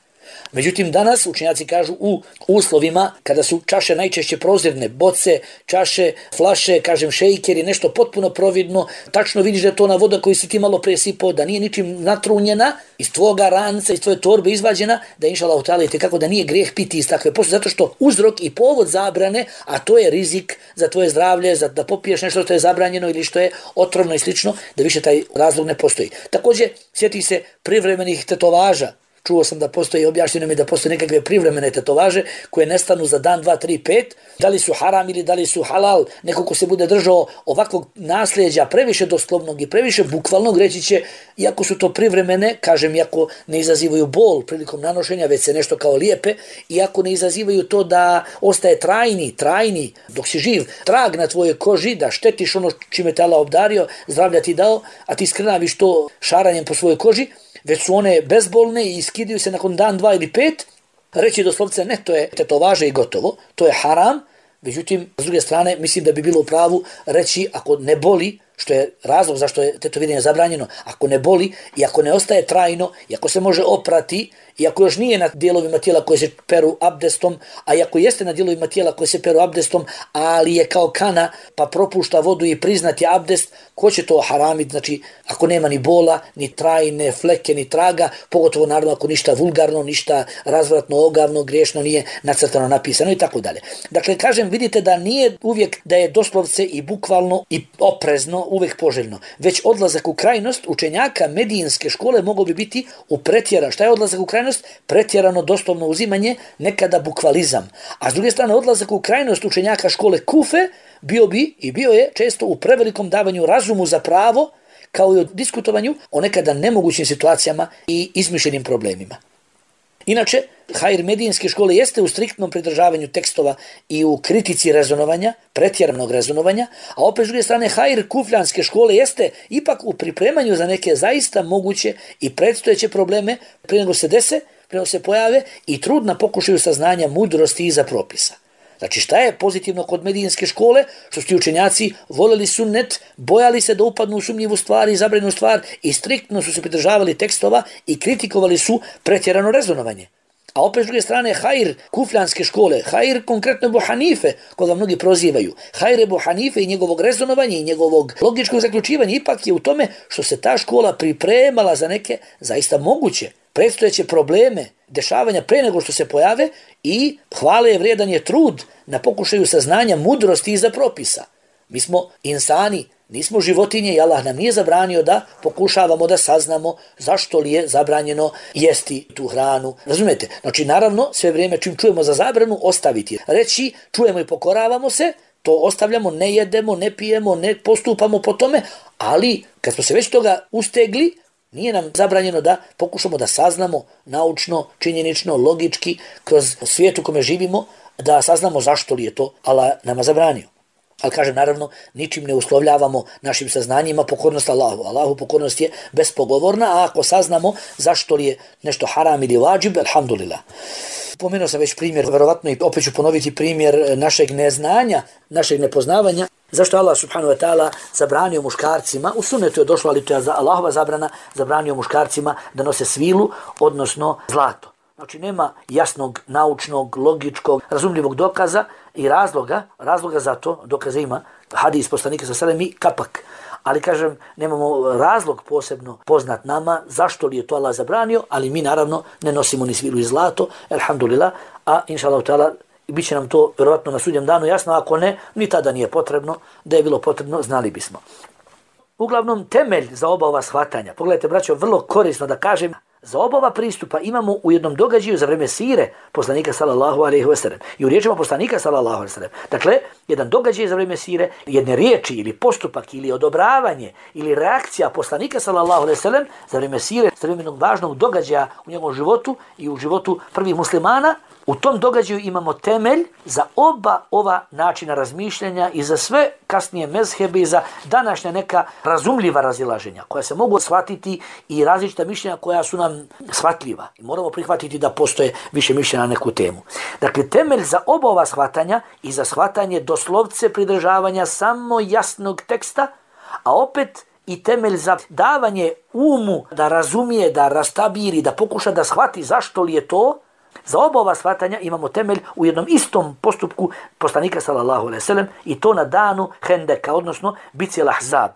Međutim, danas učenjaci kažu u uslovima kada su čaše najčešće prozirne, boce, čaše, flaše, kažem šejkeri, nešto potpuno providno, tačno vidiš da je to ona voda koju si ti malo presipao, da nije ničim natrunjena, iz tvoga ranca, iz tvoje torbe izvađena, da inšallahu ta'ala je kako da nije grijeh piti iz takve posude, zato što uzrok i povod zabrane, a to je rizik za tvoje zdravlje, za da popiješ nešto što je zabranjeno ili što je otrovno i slično, da više taj razlog ne postoji. Također, sjeti se privremenih tetovaža. Čuo sam da postoji, objašnjeno mi da postoje nekakve privremene tetovaže koje nestanu za dan, dva, tri, pet. Da li su haram ili da li su halal, neko ko se bude držao ovakvog nasljeđa previše doslovnog i previše bukvalnog, reći će, iako su to privremene, kažem, iako ne izazivaju bol prilikom nanošenja, već se nešto kao lijepe, iako ne izazivaju to da ostaje trajni, trajni, dok si živ, trag na tvojoj koži, da štetiš ono čime te Allah obdario, zdravlja ti dao, a ti skrnaviš to šaranjem po svojoj koži, već su one bezbolne i iskidaju se nakon dan, dva ili pet, reći doslovce ne, to je tetovaže i gotovo, to je haram. Međutim, s druge strane, mislim da bi bilo u pravu reći ako ne boli, što je razlog zašto je tetoviranje zabranjeno, ako ne boli i ako ne ostaje trajno, i ako se može oprati, i ako još nije na dijelovima tijela koje se peru abdestom, a i ako jeste na dijelovima tijela koje se peru abdestom, ali je kao kana, pa propušta vodu i priznati abdest, ko će to haramiti? Znači, ako nema ni bola, ni trajne fleke, ni traga, pogotovo naravno ako ništa vulgarno, ništa razvratno, ogavno, griješno nije nacrtano, napisano i tako dalje. Dakle, kažem, vidite da nije uvijek da je doslovce i bukvalno i oprezno uvijek poželjno, već odlazak u krajnost učenjaka medijinske škole mogao bi biti u pretjera. Šta je odlazak u krajnost? Pretjerano doslovno uzimanje, nekada bukvalizam. A s druge strane, odlazak u krajnost učenjaka škole Kufe bio bi i bio je često u prevelikom davanju razumu za pravo, kao i o diskutovanju o nekada nemogućim situacijama i izmišljenim problemima. Inače, hajr medijinske škole jeste u striktnom pridržavanju tekstova i u kritici rezonovanja, pretjeranog rezonovanja, a opet s druge strane hajr kufljanske škole jeste ipak u pripremanju za neke zaista moguće i predstojeće probleme prije nego se dese, prije nego se pojave i trud na pokušaju saznanja mudrosti iza propisa. Znači šta je pozitivno kod medijinske škole? Što su ti učenjaci voljeli sunnet, bojali se da upadnu u sumnjivu stvar i zabranjenu stvar i striktno su se pridržavali tekstova i kritikovali su pretjerano rezonovanje. A opet s druge strane, hajr kufljanske škole, hajr konkretno Ebu Hanife, koga mnogi prozivaju, hajr Ebu Hanife i njegovog rezonovanja i njegovog logičkog zaključivanja ipak je u tome što se ta škola pripremala za neke zaista moguće predstojeće probleme, dešavanja pre nego što se pojave i hvale je vrijedan je trud na pokušaju saznanja mudrosti iza propisa. Mi smo insani, nismo životinje i Allah nam nije zabranio da pokušavamo da saznamo zašto li je zabranjeno jesti tu hranu. Razumijete? Znači, naravno, sve vrijeme čim čujemo za zabranu, ostaviti. Reći, čujemo i pokoravamo se, to ostavljamo, ne jedemo, ne pijemo, ne postupamo po tome, ali kad smo se već toga ustegli, nije nam zabranjeno da pokušamo da saznamo naučno, činjenično, logički, kroz svijet u kome živimo, da saznamo zašto li je to Allah nama zabranio. Ali kažem, naravno, ničim ne uslovljavamo našim saznanjima pokornost Allahu. Allahu pokornost je bespogovorna, a ako saznamo zašto li je nešto haram ili vađib, alhamdulillah. Pomenuo sam već primjer, verovatno i opet ću ponoviti primjer našeg neznanja, našeg nepoznavanja. Zašto Allah subhanahu wa ta'ala zabranio muškarcima, u sunnetu je došlo, ali to je Allahova zabrana, zabranio muškarcima da nose svilu, odnosno zlato. Znači nema jasnog, naučnog, logičkog, razumljivog dokaza i razloga, razloga za to, dokaza ima, hadis poslanika sa selem i kapak. Ali kažem, nemamo razlog posebno poznat nama, zašto li je to Allah zabranio, ali mi naravno ne nosimo ni svilu i zlato, elhamdulillah, a inša Allah ta'ala, bit će nam to vjerovatno na sudnjem danu jasno, ako ne, ni tada nije potrebno, da je bilo potrebno, znali bismo. Uglavnom, temelj za oba ova shvatanja, pogledajte braćo, vrlo korisno da kažem, za oba ova pristupa imamo u jednom događaju za vreme sire poslanika sallallahu alejhi ve sellem i u riječima poslanika sallallahu alejhi ve sellem. Dakle, jedan događaj za vreme sire, jedne riječi ili postupak ili odobravanje ili reakcija poslanika sallallahu alejhi ve sellem za vreme sire, za vreme jednog važnog događaja u njegovom životu i u životu prvih muslimana. U tom događaju imamo temelj za oba ova načina razmišljanja i za sve kasnije mezhebe i za današnja neka razumljiva razilaženja koja se mogu shvatiti i različita mišljenja koja su nam shvatljiva. I moramo prihvatiti da postoje više mišljenja na neku temu. Dakle, temelj za oba ova shvatanja i za shvatanje doslovce pridržavanja samo jasnog teksta, a opet i temelj za davanje umu da razumije, da rastabiri, da pokuša da shvati zašto li je to. Za oba ova shvatanja imamo temelj u jednom istom postupku poslanika sallallahu alejhi ve sellem i to na danu Hendeka, odnosno bitci Al-Ahzab.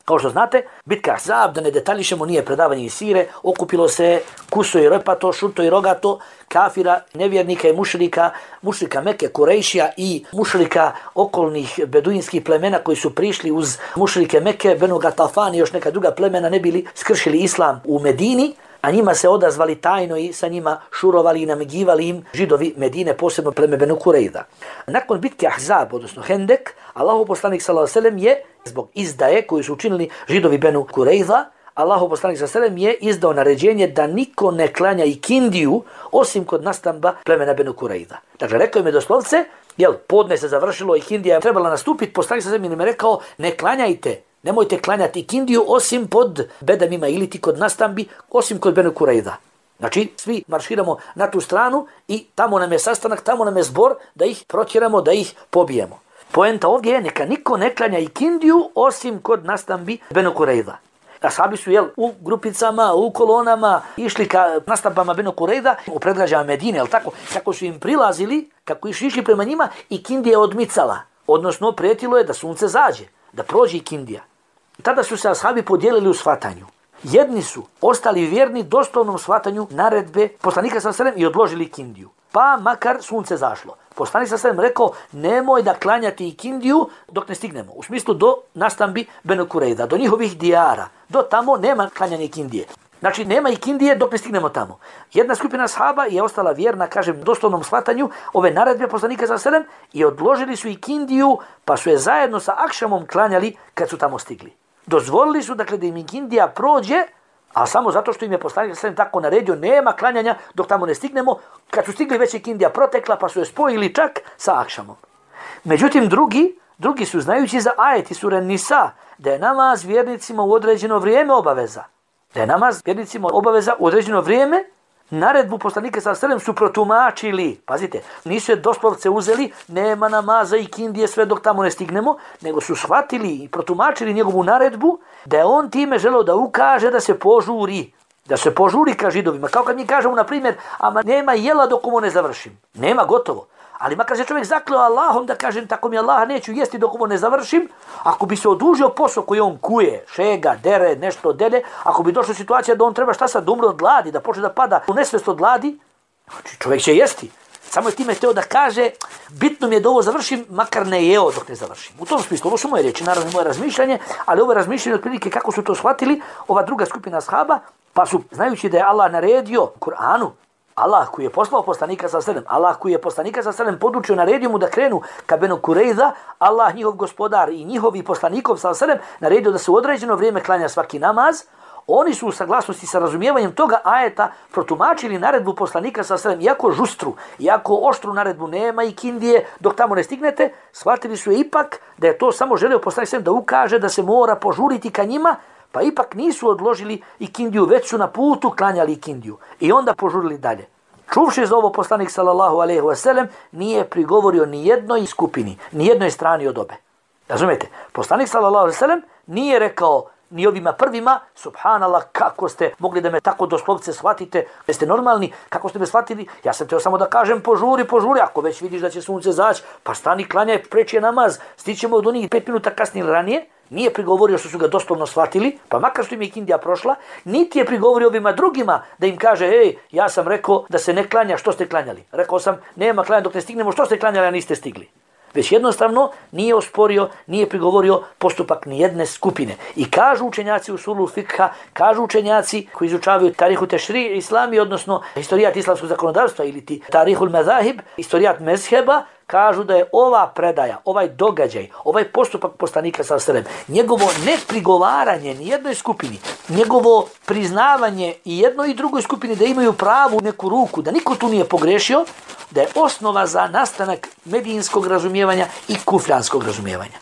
Kao što znate, bitka Ahzab, da ne detaljišemo, nije predavanje iz sire, okupilo se kuso i repato, šuto i rogato, kafira, nevjernika i mušrika, mušrika Mekke, Kurejšija i mušrika okolnih beduinskih plemena koji su prišli uz mušrike Mekke, Benu Gatafan i još neka druga plemena ne bili skršili islam u Medini, a njima se odazvali tajno i sa njima šurovali i namigivali im židovi Medine, posebno pleme Benu Kurejda. Nakon bitke Ahzab, odnosno Hendek, Allahov poslanik sallallahu alejhi ve sellem je zbog izdaje koju su učinili židovi Benu Kurejda, Allahov poslanik sallallahu alejhi ve sellem je izdao naređenje da niko ne klanja ikindiju osim kod nastamba plemena Benu Kurejda. Dakle, rekao im je doslovce, jel, podne se završilo, ikindija je trebala nastupiti, poslanik sallallahu alejhi ve sellem je rekao, ne klanjajte, nemojte klanjati ikindiju osim pod bedamima ili ti kod nastambi, osim kod Benu Kurejda. Znači, svi marširamo na tu stranu i tamo nam je sastanak, tamo nam je zbor da ih protjeramo, da ih pobijemo. Poenta ovdje je neka niko ne klanja ikindiju osim kod nastambi Benu Kurejda. Ashabi su jel, u grupicama, u kolonama išli ka nastambama Benu Kurejda u predgrađama Medine, jel tako? Kako su im prilazili, kako su išli prema njima, ikindija je odmicala. Odnosno, prijetilo je da sunce zađe, da prođe ikindija. Tada su se ashabi podijelili u shvatanju. Jedni su ostali vjerni doslovnom shvatanju naredbe poslanika sallallahu alejhi ve sellem i odložili ikindiju. Pa makar sunce zašlo. Poslanik sallallahu alejhi ve sellem rekao, nemoj da klanjati ikindiju dok ne stignemo. U smislu do nastambi Benu Kurejda, do njihovih dijara. Do tamo nema klanjanja ikindije. Znači, nema ikindije dok ne stignemo tamo. Jedna skupina ashaba je ostala vjerna, kažem, doslovnom shvatanju ove naredbe poslanika sallallahu alejhi ve sellem i odložili su ikindiju, pa su je zajedno sa akšamom klanjali kad su tamo stigli. Dozvolili su, dakle, da im ikindija prođe, a samo zato što im je poslanik sallallahu alejhi ve sellem tako naredio, nema klanjanja dok tamo ne stignemo. Kad su stigli, već ikindija protekla, pa su je spojili čak sa akšamom. Međutim, drugi, drugi su znajući za ajet iz sure Nisa, da je namaz vjernicima u određeno vrijeme obaveza. Da je namaz vjernicima obaveza u određeno vrijeme, naredbu poslanika sallallahu alejhi ve sellem su protumačili. Pazite, nisu je doslovce uzeli, nema namaza i ikindije sve dok tamo ne stignemo, nego su shvatili i protumačili njegovu naredbu da je on time želeo da ukaže da se požuri. Da se požuri ka židovima. Kao kad mi kažemo, na primjer, ama nema jela dok ovo ne završim. Nema, gotovo. Ali makar se čovjek zakleo Allahom da kažem tako mi Allaha neću jesti dok ovo ne završim, ako bi se odužio posao koji on kuje, šega, dere, nešto dele, ako bi došla situacija da on treba šta sad, da umre od gladi, da počne da pada u nesvest od gladi, čovjek će jesti. Samo je time hteo da kaže, bitno mi je da ovo završim, makar ne jeo dok ne završim. U tom smislu, ovo su moje reči, naravno moje razmišljanje, ali ovo razmišljanje otprilike kako su to shvatili ova druga skupina ashaba, pa su, znajući da je Allah naredio u Kur'anu, Allah koji je poslao poslanika sallallahu alejhi ve sellem, Allah koji je poslanika sallallahu alejhi ve sellem podučio, naredio mu da krenu ka Benu Kurejda, Allah njihov gospodar i njihovi poslanikov sallallahu alejhi ve sellem naredio da se u određeno vrijeme klanja svaki namaz. Oni su u saglasnosti sa razumijevanjem toga ajeta protumačili naredbu poslanika sallallahu alejhi ve sellem, iako žustru, iako oštru naredbu, nema ikindije dok tamo ne stignete, shvatili su je ipak da je to samo želio poslanik sallallahu alejhi ve sellem da ukaže da se mora požuriti ka njima, pa ipak nisu odložili ikindiju, već su na putu klanjali ikindiju i onda požurili dalje. Čuvši za ovo, poslanik sallallahu alejhi ve sellem nije prigovorio ni jednoj skupini, ni jednoj strani od obe. Razumete? Poslanik sallallahu alejhi ve sellem nije rekao ni ovima prvima, subhanallah, kako ste mogli da me tako doslovce shvatite, jeste normalni, kako ste me shvatili, ja sam teo samo da kažem požuri, požuri, ako već vidiš da će sunce zaći, pa stani, klanjaj, preči je namaz, stićemo od onih pet minuta kasnije ili ranije, nije prigovorio što su ga doslovno shvatili, pa makar što im je ikindija prošla, niti je prigovorio ovima drugima da im kaže, ej, ja sam rekao da se ne klanja, što ste klanjali? Rekao sam, nema klanja dok ne stignemo, što ste klanjali, a niste stigli? Već jednostavno nije osporio, nije prigovorio postupak nijedne skupine. I kažu učenjaci usulul fikha, kažu učenjaci koji izučavaju tarihu tešri islami, odnosno historijat islamskog zakonodavstva ili ti tarihul mezahib, historijat mezheba, kažu da je ova predaja, ovaj događaj, ovaj postupak poslanika sallallahu alejhi ve sellem, njegovo neprigovaranje ni jednoj skupini, njegovo priznavanje i jednoj i drugoj skupini da imaju pravu neku ruku, da niko tu nije pogrešio, da je osnova za nastanak medijinskog razumijevanja i kufljanskog razumijevanja.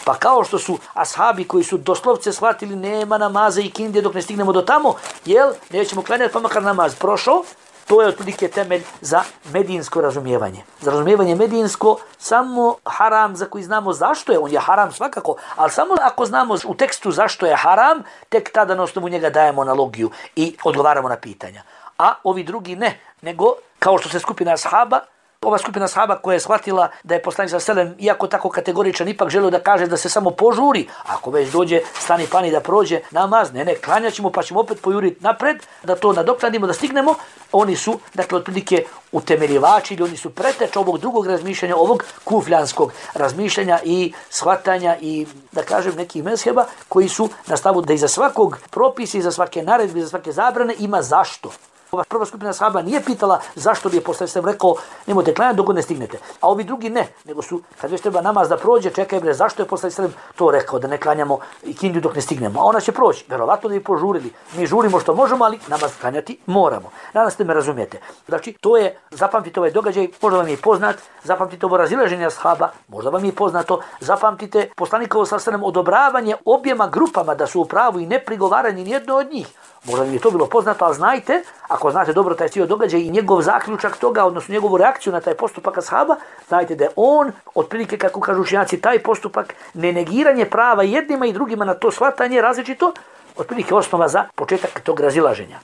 Pa kao što su ashabi koji su doslovce shvatili nema namaza i kindije dok ne stignemo do tamo, jel, nećemo klanjati pa makar namaz prošao, to je otprilike temelj za medijinsko razumijevanje. Za razumijevanje medijinsko samo haram za koji znamo zašto je, on je haram svakako, ali samo ako znamo u tekstu zašto je haram, tek tada na osnovu njega dajemo analogiju i odgovaramo na pitanja. A ovi drugi ne, nego kao što se skupina ashaba, ova skupina ashaba koja je shvatila da je poslanik sallallahu alejhi ve sellem, iako tako kategoričan, ipak želio da kaže da se samo požuri. Ako već dođe stani pani da prođe namaz, ne, ne, klanjat ćemo pa ćemo opet pojuriti napred, da to nadoknadimo, da stignemo. Oni su, dakle, otprilike utemeljivači ili oni su preteč ovog drugog razmišljanja, ovog kufljanskog razmišljanja i shvatanja i, da kažem, nekih mezheba koji su na stavu da iza svakog propisa, iza svake naredbe, iza svake zabrane ima zašto. Ova prva skupina sahaba nije pitala zašto bi je poslanik sallallahu alejhi ve sellem rekao nemojte klanjati dok ne stignete. A ovi drugi ne, nego su kad već treba namaz da prođe, čekaj bre, zašto je poslanik sallallahu alejhi ve sellem to rekao da ne klanjamo ikindiju dok ne stignemo. A ona će proći, verovatno da bi požurili. Mi žurimo što možemo, ali namaz klanjati moramo. Nadam se da me razumijete. Znači, to je, zapamtite ovaj događaj, možda vam je poznat, zapamtite ovo razilaženje ashaba, možda vam je poznato, zapamtite poslanikovo sallallahu alejhi ve sellem odobravanje objema grupama da su u pravu i neprigovaranje nijedno od njih. Možda mi je to bilo poznato, ali znajte, ako znate dobro taj cijel događaj i njegov zaključak toga, odnosno njegovu reakciju na taj postupak ashaba, znajte da je on, otprilike kako kažu učenjaci, taj postupak, nenegiranje prava jednima i drugima na to shvatanje različito, otprilike osnova za početak tog razilaženja.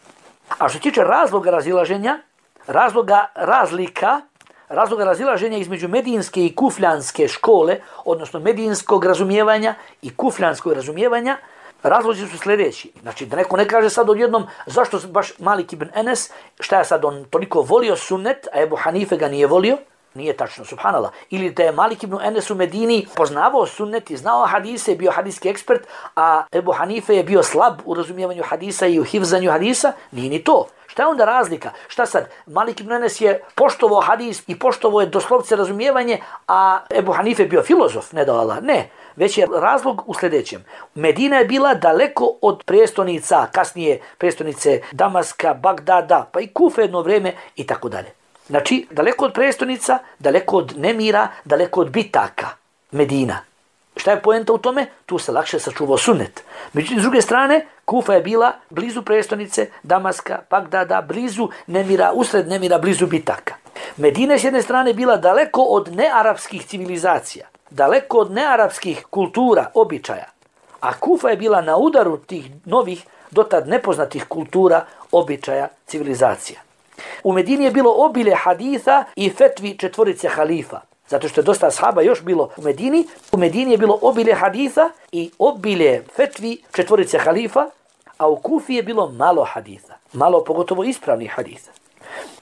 A što se tiče razloga razilaženja, razloga razlika, razloga razilaženja između medijinske i kufljanske škole, odnosno medijinskog razumijevanja i kufljanskog razumijevanja, razlozi su sljedeći. Znači, da neko ne kaže sad odjednom zašto baš Malik ibn Enes, šta je sad on toliko volio sunnet, a Ebu Hanife ga nije volio, nije tačno, subhanallah. Ili da je Malik ibn Enes u Medini poznavao sunnet i znao hadise, bio hadijski ekspert, a Ebu Hanife je bio slab u razumijevanju hadisa i u hivzanju hadisa, nije ni to. Šta je onda razlika? Šta sad? Malik ibn Enes je poštovao hadis i poštovao je doslovce razumijevanje, a Ebu Hanife je bio filozof, ne da Allah. Ne, već je razlog u sljedećem. Medina je bila daleko od prestonica, kasnije prestonice Damaska, Bagdada, pa i Kufe jedno vrijeme i tako dalje. Znači, daleko od prestonica, daleko od nemira, daleko od bitaka. Medina. Šta je poenta u tome? Tu se lakše sačuvao sunnet. Međutim, s druge strane, Kufa je bila blizu prestonice Damaska, Bagdada, blizu nemira, usred nemira, blizu bitaka. Medina je s jedne strane bila daleko od nearapskih civilizacija, daleko od nearapskih kultura, običaja. A Kufa je bila na udaru tih novih, dotad nepoznatih kultura, običaja, civilizacija. U Medini je bilo obilje haditha i fetvi četvorice halifa. Zato što je dosta ashaba još bilo u Medini. U Medini je bilo obilje haditha i obilje fetvi četvorice halifa, a u Kufi je bilo malo haditha. Malo, pogotovo ispravnih haditha.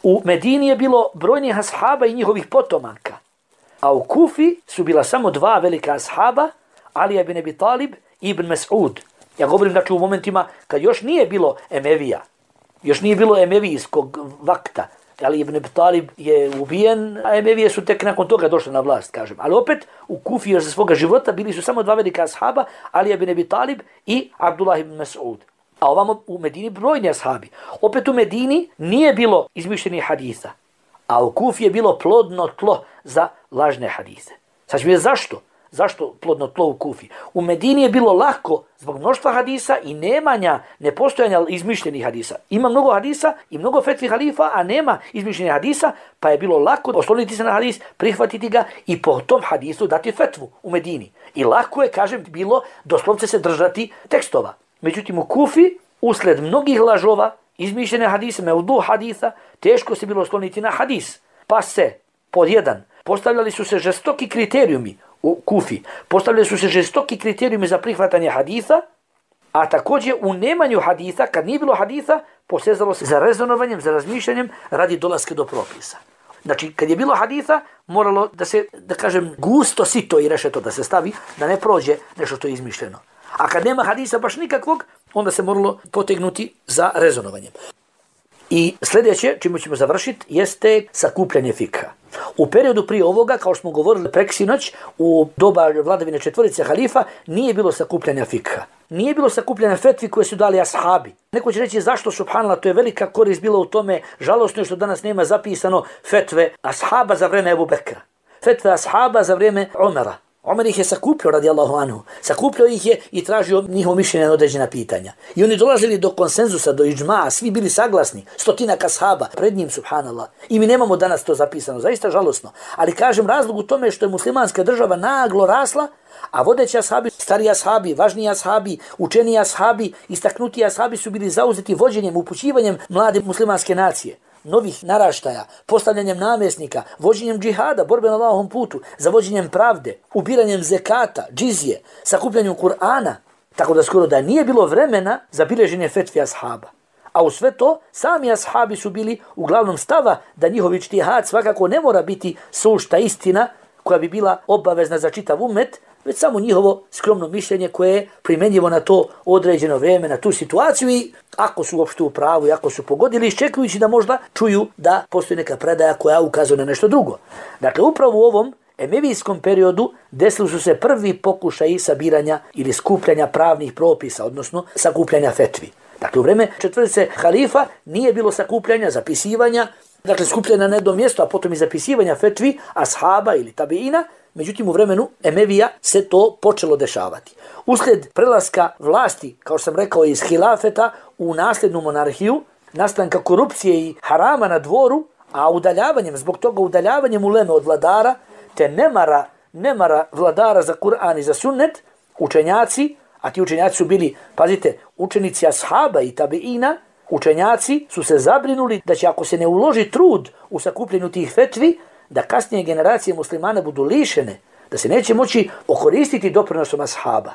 U Medini je bilo brojnih ashaba i njihovih potomaka. A u Kufi su bila samo dva velika ashaba, Ali ibn Abi Talib i Ibn Mas'ud. Ja govorim znači u momentima kad još nije bilo Emevija. Još nije bilo emevijskog vakta. Ali Ibn Abi Talib je ubijen, a Emevije su tek nakon toga došle na vlast, kažem. Ali opet, u Kufi još za svoga života bili su samo dva velika ashaba, Ali ibn Abi Talib i Abdullah ibn Mas'ud. A ovamo u Medini brojni ashabi. Opet u Medini nije bilo izmišljenih hadisa, a u Kufi je bilo plodno tlo za lažne hadise. Sad ću vidjeti zašto? Zašto plodno tlo u Kufi? U Medini je bilo lako zbog mnoštva hadisa i nemanja, nepostojanja izmišljenih hadisa. Ima mnogo hadisa i mnogo fetvi halifa, a nema izmišljenih hadisa, pa je bilo lako osloniti se na hadis, prihvatiti ga i po tom hadisu dati fetvu u Medini. I lako je, kažem, bilo doslovce se držati tekstova. Međutim, u Kufi, usled mnogih lažova, izmišljene hadise, mevdu hadisa, teško se bilo osloniti na hadis. Pa se, pod jedan, postavljali su se žestoki kriterijumi u Kufi, postavljali su se žestoki kriterijumi za prihvatanje hadisa, a također u nemanju hadisa, kad nije bilo hadisa, posezalo se za rezonovanjem, za razmišljanjem radi dolaske do propisa. Znači, kad je bilo hadisa, moralo da se, da kažem, gusto sito i rešeto da se stavi, da ne prođe nešto što je izmišljeno. A kad nema hadisa baš nikakvog, onda se moralo potegnuti za rezonovanjem. I sljedeće, čime ćemo završiti, jeste sakupljanje fikha. U periodu prije ovoga, kao što smo govorili preksinoć, u doba vladavine četvorice halifa, nije bilo sakupljanja fikha. Nije bilo sakupljanja fetvi koje su dali ashabi. Neko će reći zašto, subhanallah, to je velika korist bila u tome, žalostno je što danas nema zapisano fetve ashaba za vreme Ebu Bekra. Fetve ashaba za vreme Omera. Omer ih je sakupljao, radijallahu anhu. Sakupljao ih je i tražio njihovo mišljenje na određena pitanja. I oni dolazili do konsenzusa, do iđma, svi bili saglasni, stotinak ashaba pred njim, subhanallah. I mi nemamo danas to zapisano, zaista žalosno. Ali kažem, razlog u tome što je muslimanska država naglo rasla, a vodeći ashabi, stari ashabi, važniji ashabi, učeni ashabi, istaknuti ashabi su bili zauzeti vođenjem, upućivanjem mlade muslimanske nacije, novih naraštaja, postavljanjem namjesnika, vođenjem džihada, borbe na Allahovom putu, zavođenjem pravde, ubiranjem zekata, džizije, sakupljanjem Kur'ana, tako da skoro da nije bilo vremena za bilježenje fetvi ashaba. A u sve to, sami ashabi su bili uglavnom stava da njihov ičtihad svakako ne mora biti sušta istina koja bi bila obavezna za čitav umet, već samo njihovo skromno mišljenje koje je primjenjivo na to određeno vrijeme, na tu situaciju i ako su uopšte u pravu i ako su pogodili, iščekujući da možda čuju da postoji neka predaja koja ukazuje na nešto drugo. Dakle, upravo u ovom emevijskom periodu desili su se prvi pokušaji sabiranja ili skupljanja pravnih propisa, odnosno sakupljanja fetvi. Dakle, u vreme četvorice halifa nije bilo sakupljanja, zapisivanja, dakle, skupljanja na jedno mjesto, a potom i zapisivanja fetvi, ashaba ili tabiina. Međutim, u vremenu Emevija se to počelo dešavati. Uslijed prelaska vlasti, kao što sam rekao, iz hilafeta u nasljednu monarhiju, nastanka korupcije i harama na dvoru, a udaljavanjem, zbog toga udaljavanjem uleme od vladara, te nemara, nemara vladara za Kur'an i za sunnet, učenjaci, a ti učenjaci su bili, pazite, učenici ashaba i tabiina, učenjaci su se zabrinuli da će ako se ne uloži trud u sakupljenju tih fetvi, da kasnije generacije muslimana budu lišene, da se neće moći okoristiti doprinosom ashaba.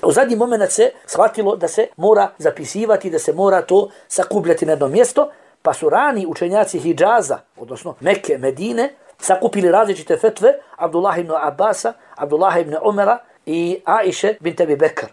U zadnji moment se shvatilo da se mora zapisivati, da se mora to sakupljati na jedno mjesto, pa su rani učenjaci Hidžaza, odnosno Mekke, Medine, sakupili različite fetve Abdullah ibn Abasa, Abdullah ibn Omera i Aiše bint Abi Bekr.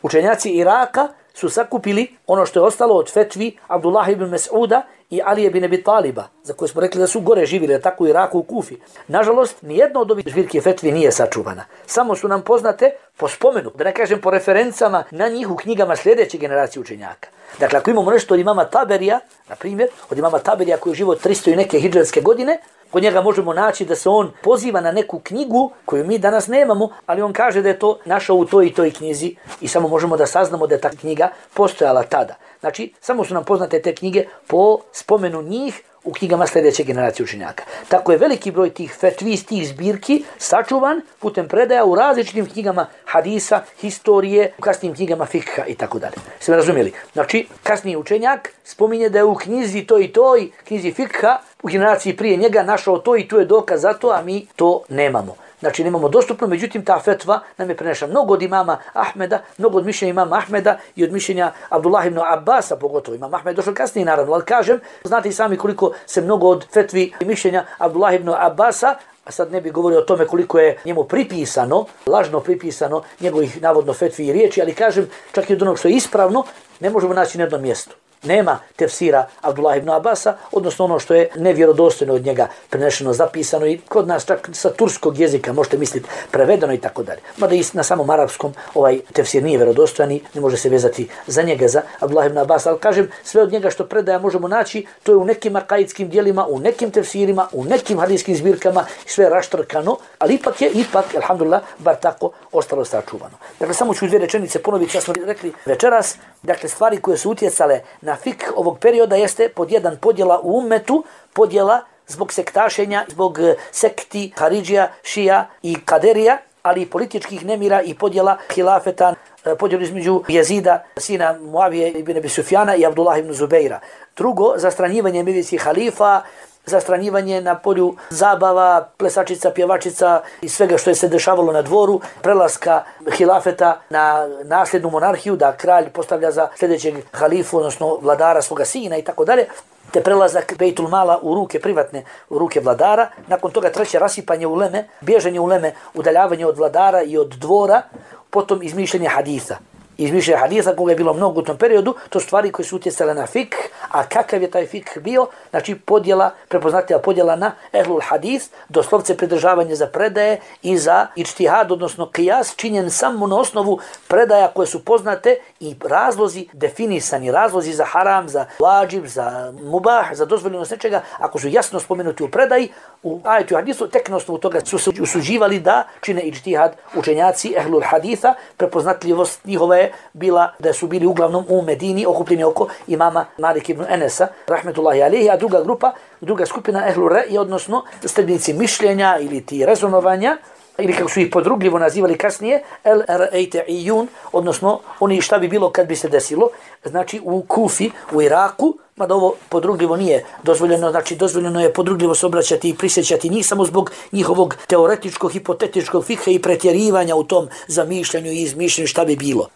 Učenjaci Iraka su sakupili ono što je ostalo od fetvi Abdullah ibn Mas'uda i Ali ibn Abi Taliba, za koje smo rekli da su gore živjeli, tako u Iraku, u Kufi. Nažalost, nijedno od ovih zbirke fetvi nije sačuvana. Samo su nam poznate po spomenu, da ne kažem po referencama na njih u knjigama sljedeće generacije učenjaka. Dakle, ako imamo nešto od imama Taberija, na primjer, od imama Taberija koji je živo tristo i neke hidžarske godine, kod njega možemo naći da se on poziva na neku knjigu koju mi danas nemamo, ali on kaže da je to našao u toj i toj knjizi i samo možemo da saznamo da je ta knjiga postojala tada. Znači, samo su nam poznate te knjige po spomenu njih u knjigama sljedeće generacije učenjaka. Tako je veliki broj tih fetvi, tih zbirki sačuvan putem predaja u različitim knjigama hadisa, historije, u kasnijim knjigama fikha i tako dalje. Sve razumjeli? Znači, kasniji učenjak spominje da je u knjizi to i toj, knjizi fikha, u generaciji prije njega našao to i tu je dokaz za to, a mi to nemamo. Znači nemamo dostupno, međutim ta fetva nam je prenešena mnogo od imama Ahmeda, mnogo od mišljenja imama Ahmeda i od mišljenja Abdullah ibn Abasa, pogotovo imam Ahmed došao kasnije naravno, ali kažem, znate i sami koliko se mnogo od fetvi i mišljenja Abdullah ibn Abasa, a sad ne bih govorio o tome koliko je njemu pripisano, lažno pripisano njegovih navodno fetvi i riječi, ali kažem, čak i od onog što je ispravno, ne možemo naći na jednom mjestu. Nema tefsira Abdullah ibn Abasa, odnosno ono što je nevjerodostojno od njega prenešeno, zapisano i kod nas čak sa turskog jezika, možete misliti, prevedeno i tako dalje. Mada i na samom arapskom ovaj tefsir nije vjerodostojan i ne može se vezati za njega, za Abdullah ibn Abasa, ali kažem, sve od njega što predaja možemo naći, to je u nekim akaidskim dijelima, u nekim tefsirima, u nekim hadijskim zbirkama, sve raštrkano, ali ipak je, ipak, alhamdulillah, bar tako ostalo sačuvano. Dakle, samo ću dvije rečenice ponoviti, ja smo rekli večeras, dakle, stvari koje su utjecale na fik ovog perioda jeste pod jedan podjela u ummetu, podjela zbog sektašenja, zbog sekti, Haridžija, Šija i Kaderija, ali i političkih nemira i podjela hilafeta podjelu između Jezida, sina Muavije ibn Abi Sufjana i Abdullah ibn Zubeira. Drugo, zastranjivanje emevijskih halifa, zastranjivanje na polju zabava, plesačica, pjevačica i svega što je se dešavalo na dvoru, prelaska hilafeta na nasljednu monarhiju, da kralj postavlja za sljedećeg halifu, odnosno vladara svoga sina i tako dalje, te prelazak Bejtul Mala u ruke privatne, u ruke vladara. Nakon toga treće, rasipanje uleme, bježanje uleme, udaljavanje od vladara i od dvora, potom izmišljanje haditha. Izmišljanje haditha koga je bilo mnogo u tom periodu, to stvari koje su utjecale na fik, a kakav je taj fik bio, znači podjela, prepoznatljiva podjela na ehlul hadith, doslovce pridržavanje za predaje i za ičtihad, odnosno qiyas, činjen samo na osnovu predaja koje su poznate i razlozi definisani, razlozi za haram, za vađib, za mubah, za dozvoljenost nečega, ako su jasno spomenuti u predaji, u ajetu hadisu, tek na osnovu toga su se usuđivali da čine ičtihad učenjaci ehlul haditha. Prepoznatljivost njihova je bila da su bili uglavnom u Medini okupljeni oko imama Malik ibn Enesa, rahmetullahi alihi, a druga grupa, druga skupina ehlul re'i, odnosno sledbenici mišljenja ili ti rezonovanja, ili kako su ih podrugljivo nazivali kasnije, el ra'ayta'iyun, odnosno oni šta bi bilo kad bi se desilo, znači u Kufi, u Iraku, mada ovo podrugljivo nije dozvoljeno, znači dozvoljeno je podrugljivo se obraćati i prisjećati njih samo zbog njihovog teoretičkog, hipotetičkog fikha i pretjerivanja u tom zamišljanju i izmišljanju šta bi bilo.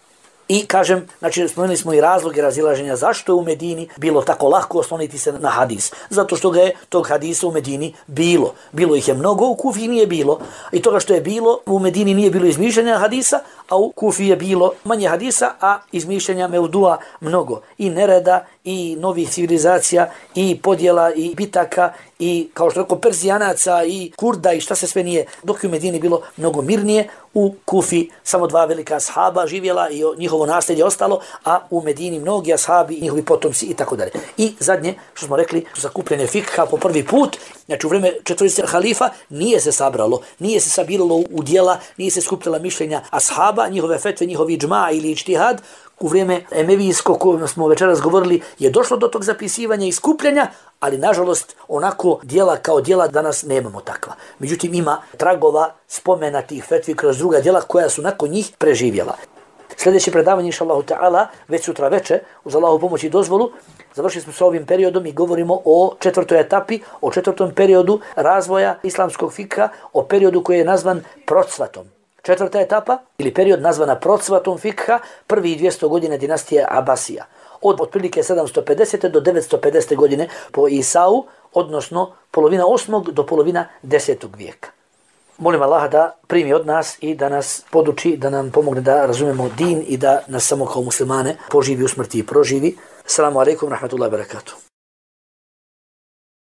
I kažem, znači spomenuli smo i razloge razilaženja zašto je u Medini bilo tako lako osloniti se na hadis. Zato što ga je tog hadisa u Medini bilo. Bilo ih je mnogo, u Kufi nije bilo. I toga što je bilo, u Medini nije bilo izmišljanja hadisa, a u Kufi je bilo manje hadisa, a izmišljanja mevdua mnogo. I nereda, i novih civilizacija, i podjela, i bitaka, i kao što rekao Perzijanaca, i Kurda, i šta se sve nije. Dok je u Medini bilo mnogo mirnije, u Kufi samo dva velika ashaba živjela i njihovo nasljedje ostalo, a u Medini mnogi ashabi i njihovi potomci i tako dalje. I zadnje, što smo rekli, sakupljanje fikha po prvi put, znači u vrijeme četvorice halifa nije se sabralo, nije se sabiralo u djela, nije se skupljala mišljenja ashaba, njihove fetve, njihovi džma ili ičtihad. U vrijeme emevijsko, koje smo večeras govorili, je došlo do tog zapisivanja i skupljanja, ali nažalost onako djela kao djela danas nemamo takva. Međutim ima tragova spomena tih fetvi kroz druga djela koja su nakon njih preživjela. Sljedeće predavanje, inša Allahu ta'ala, već sutra veče, uz Allahu pomoć i dozvolu, završili smo sa ovim periodom i govorimo o četvrtoj etapi, o četvrtom periodu razvoja islamskog fikha, o periodu koji je nazvan procvatom. Četvrta etapa, ili period nazvana procvatom fikha, prvi dvjesto godina dinastije Abasija. Od otprilike sedamsto pedesete do devetsto pedesete godine po Isau, odnosno polovina osmog do polovina desetog vijeka. Molim Allaha da primi od nas i da nas poduči, da nam pomogne da razumemo din i da nas samo kao muslimane poživi u smrti i proživi. Assalamu alaikum, rahmatullahi wa barakatuh.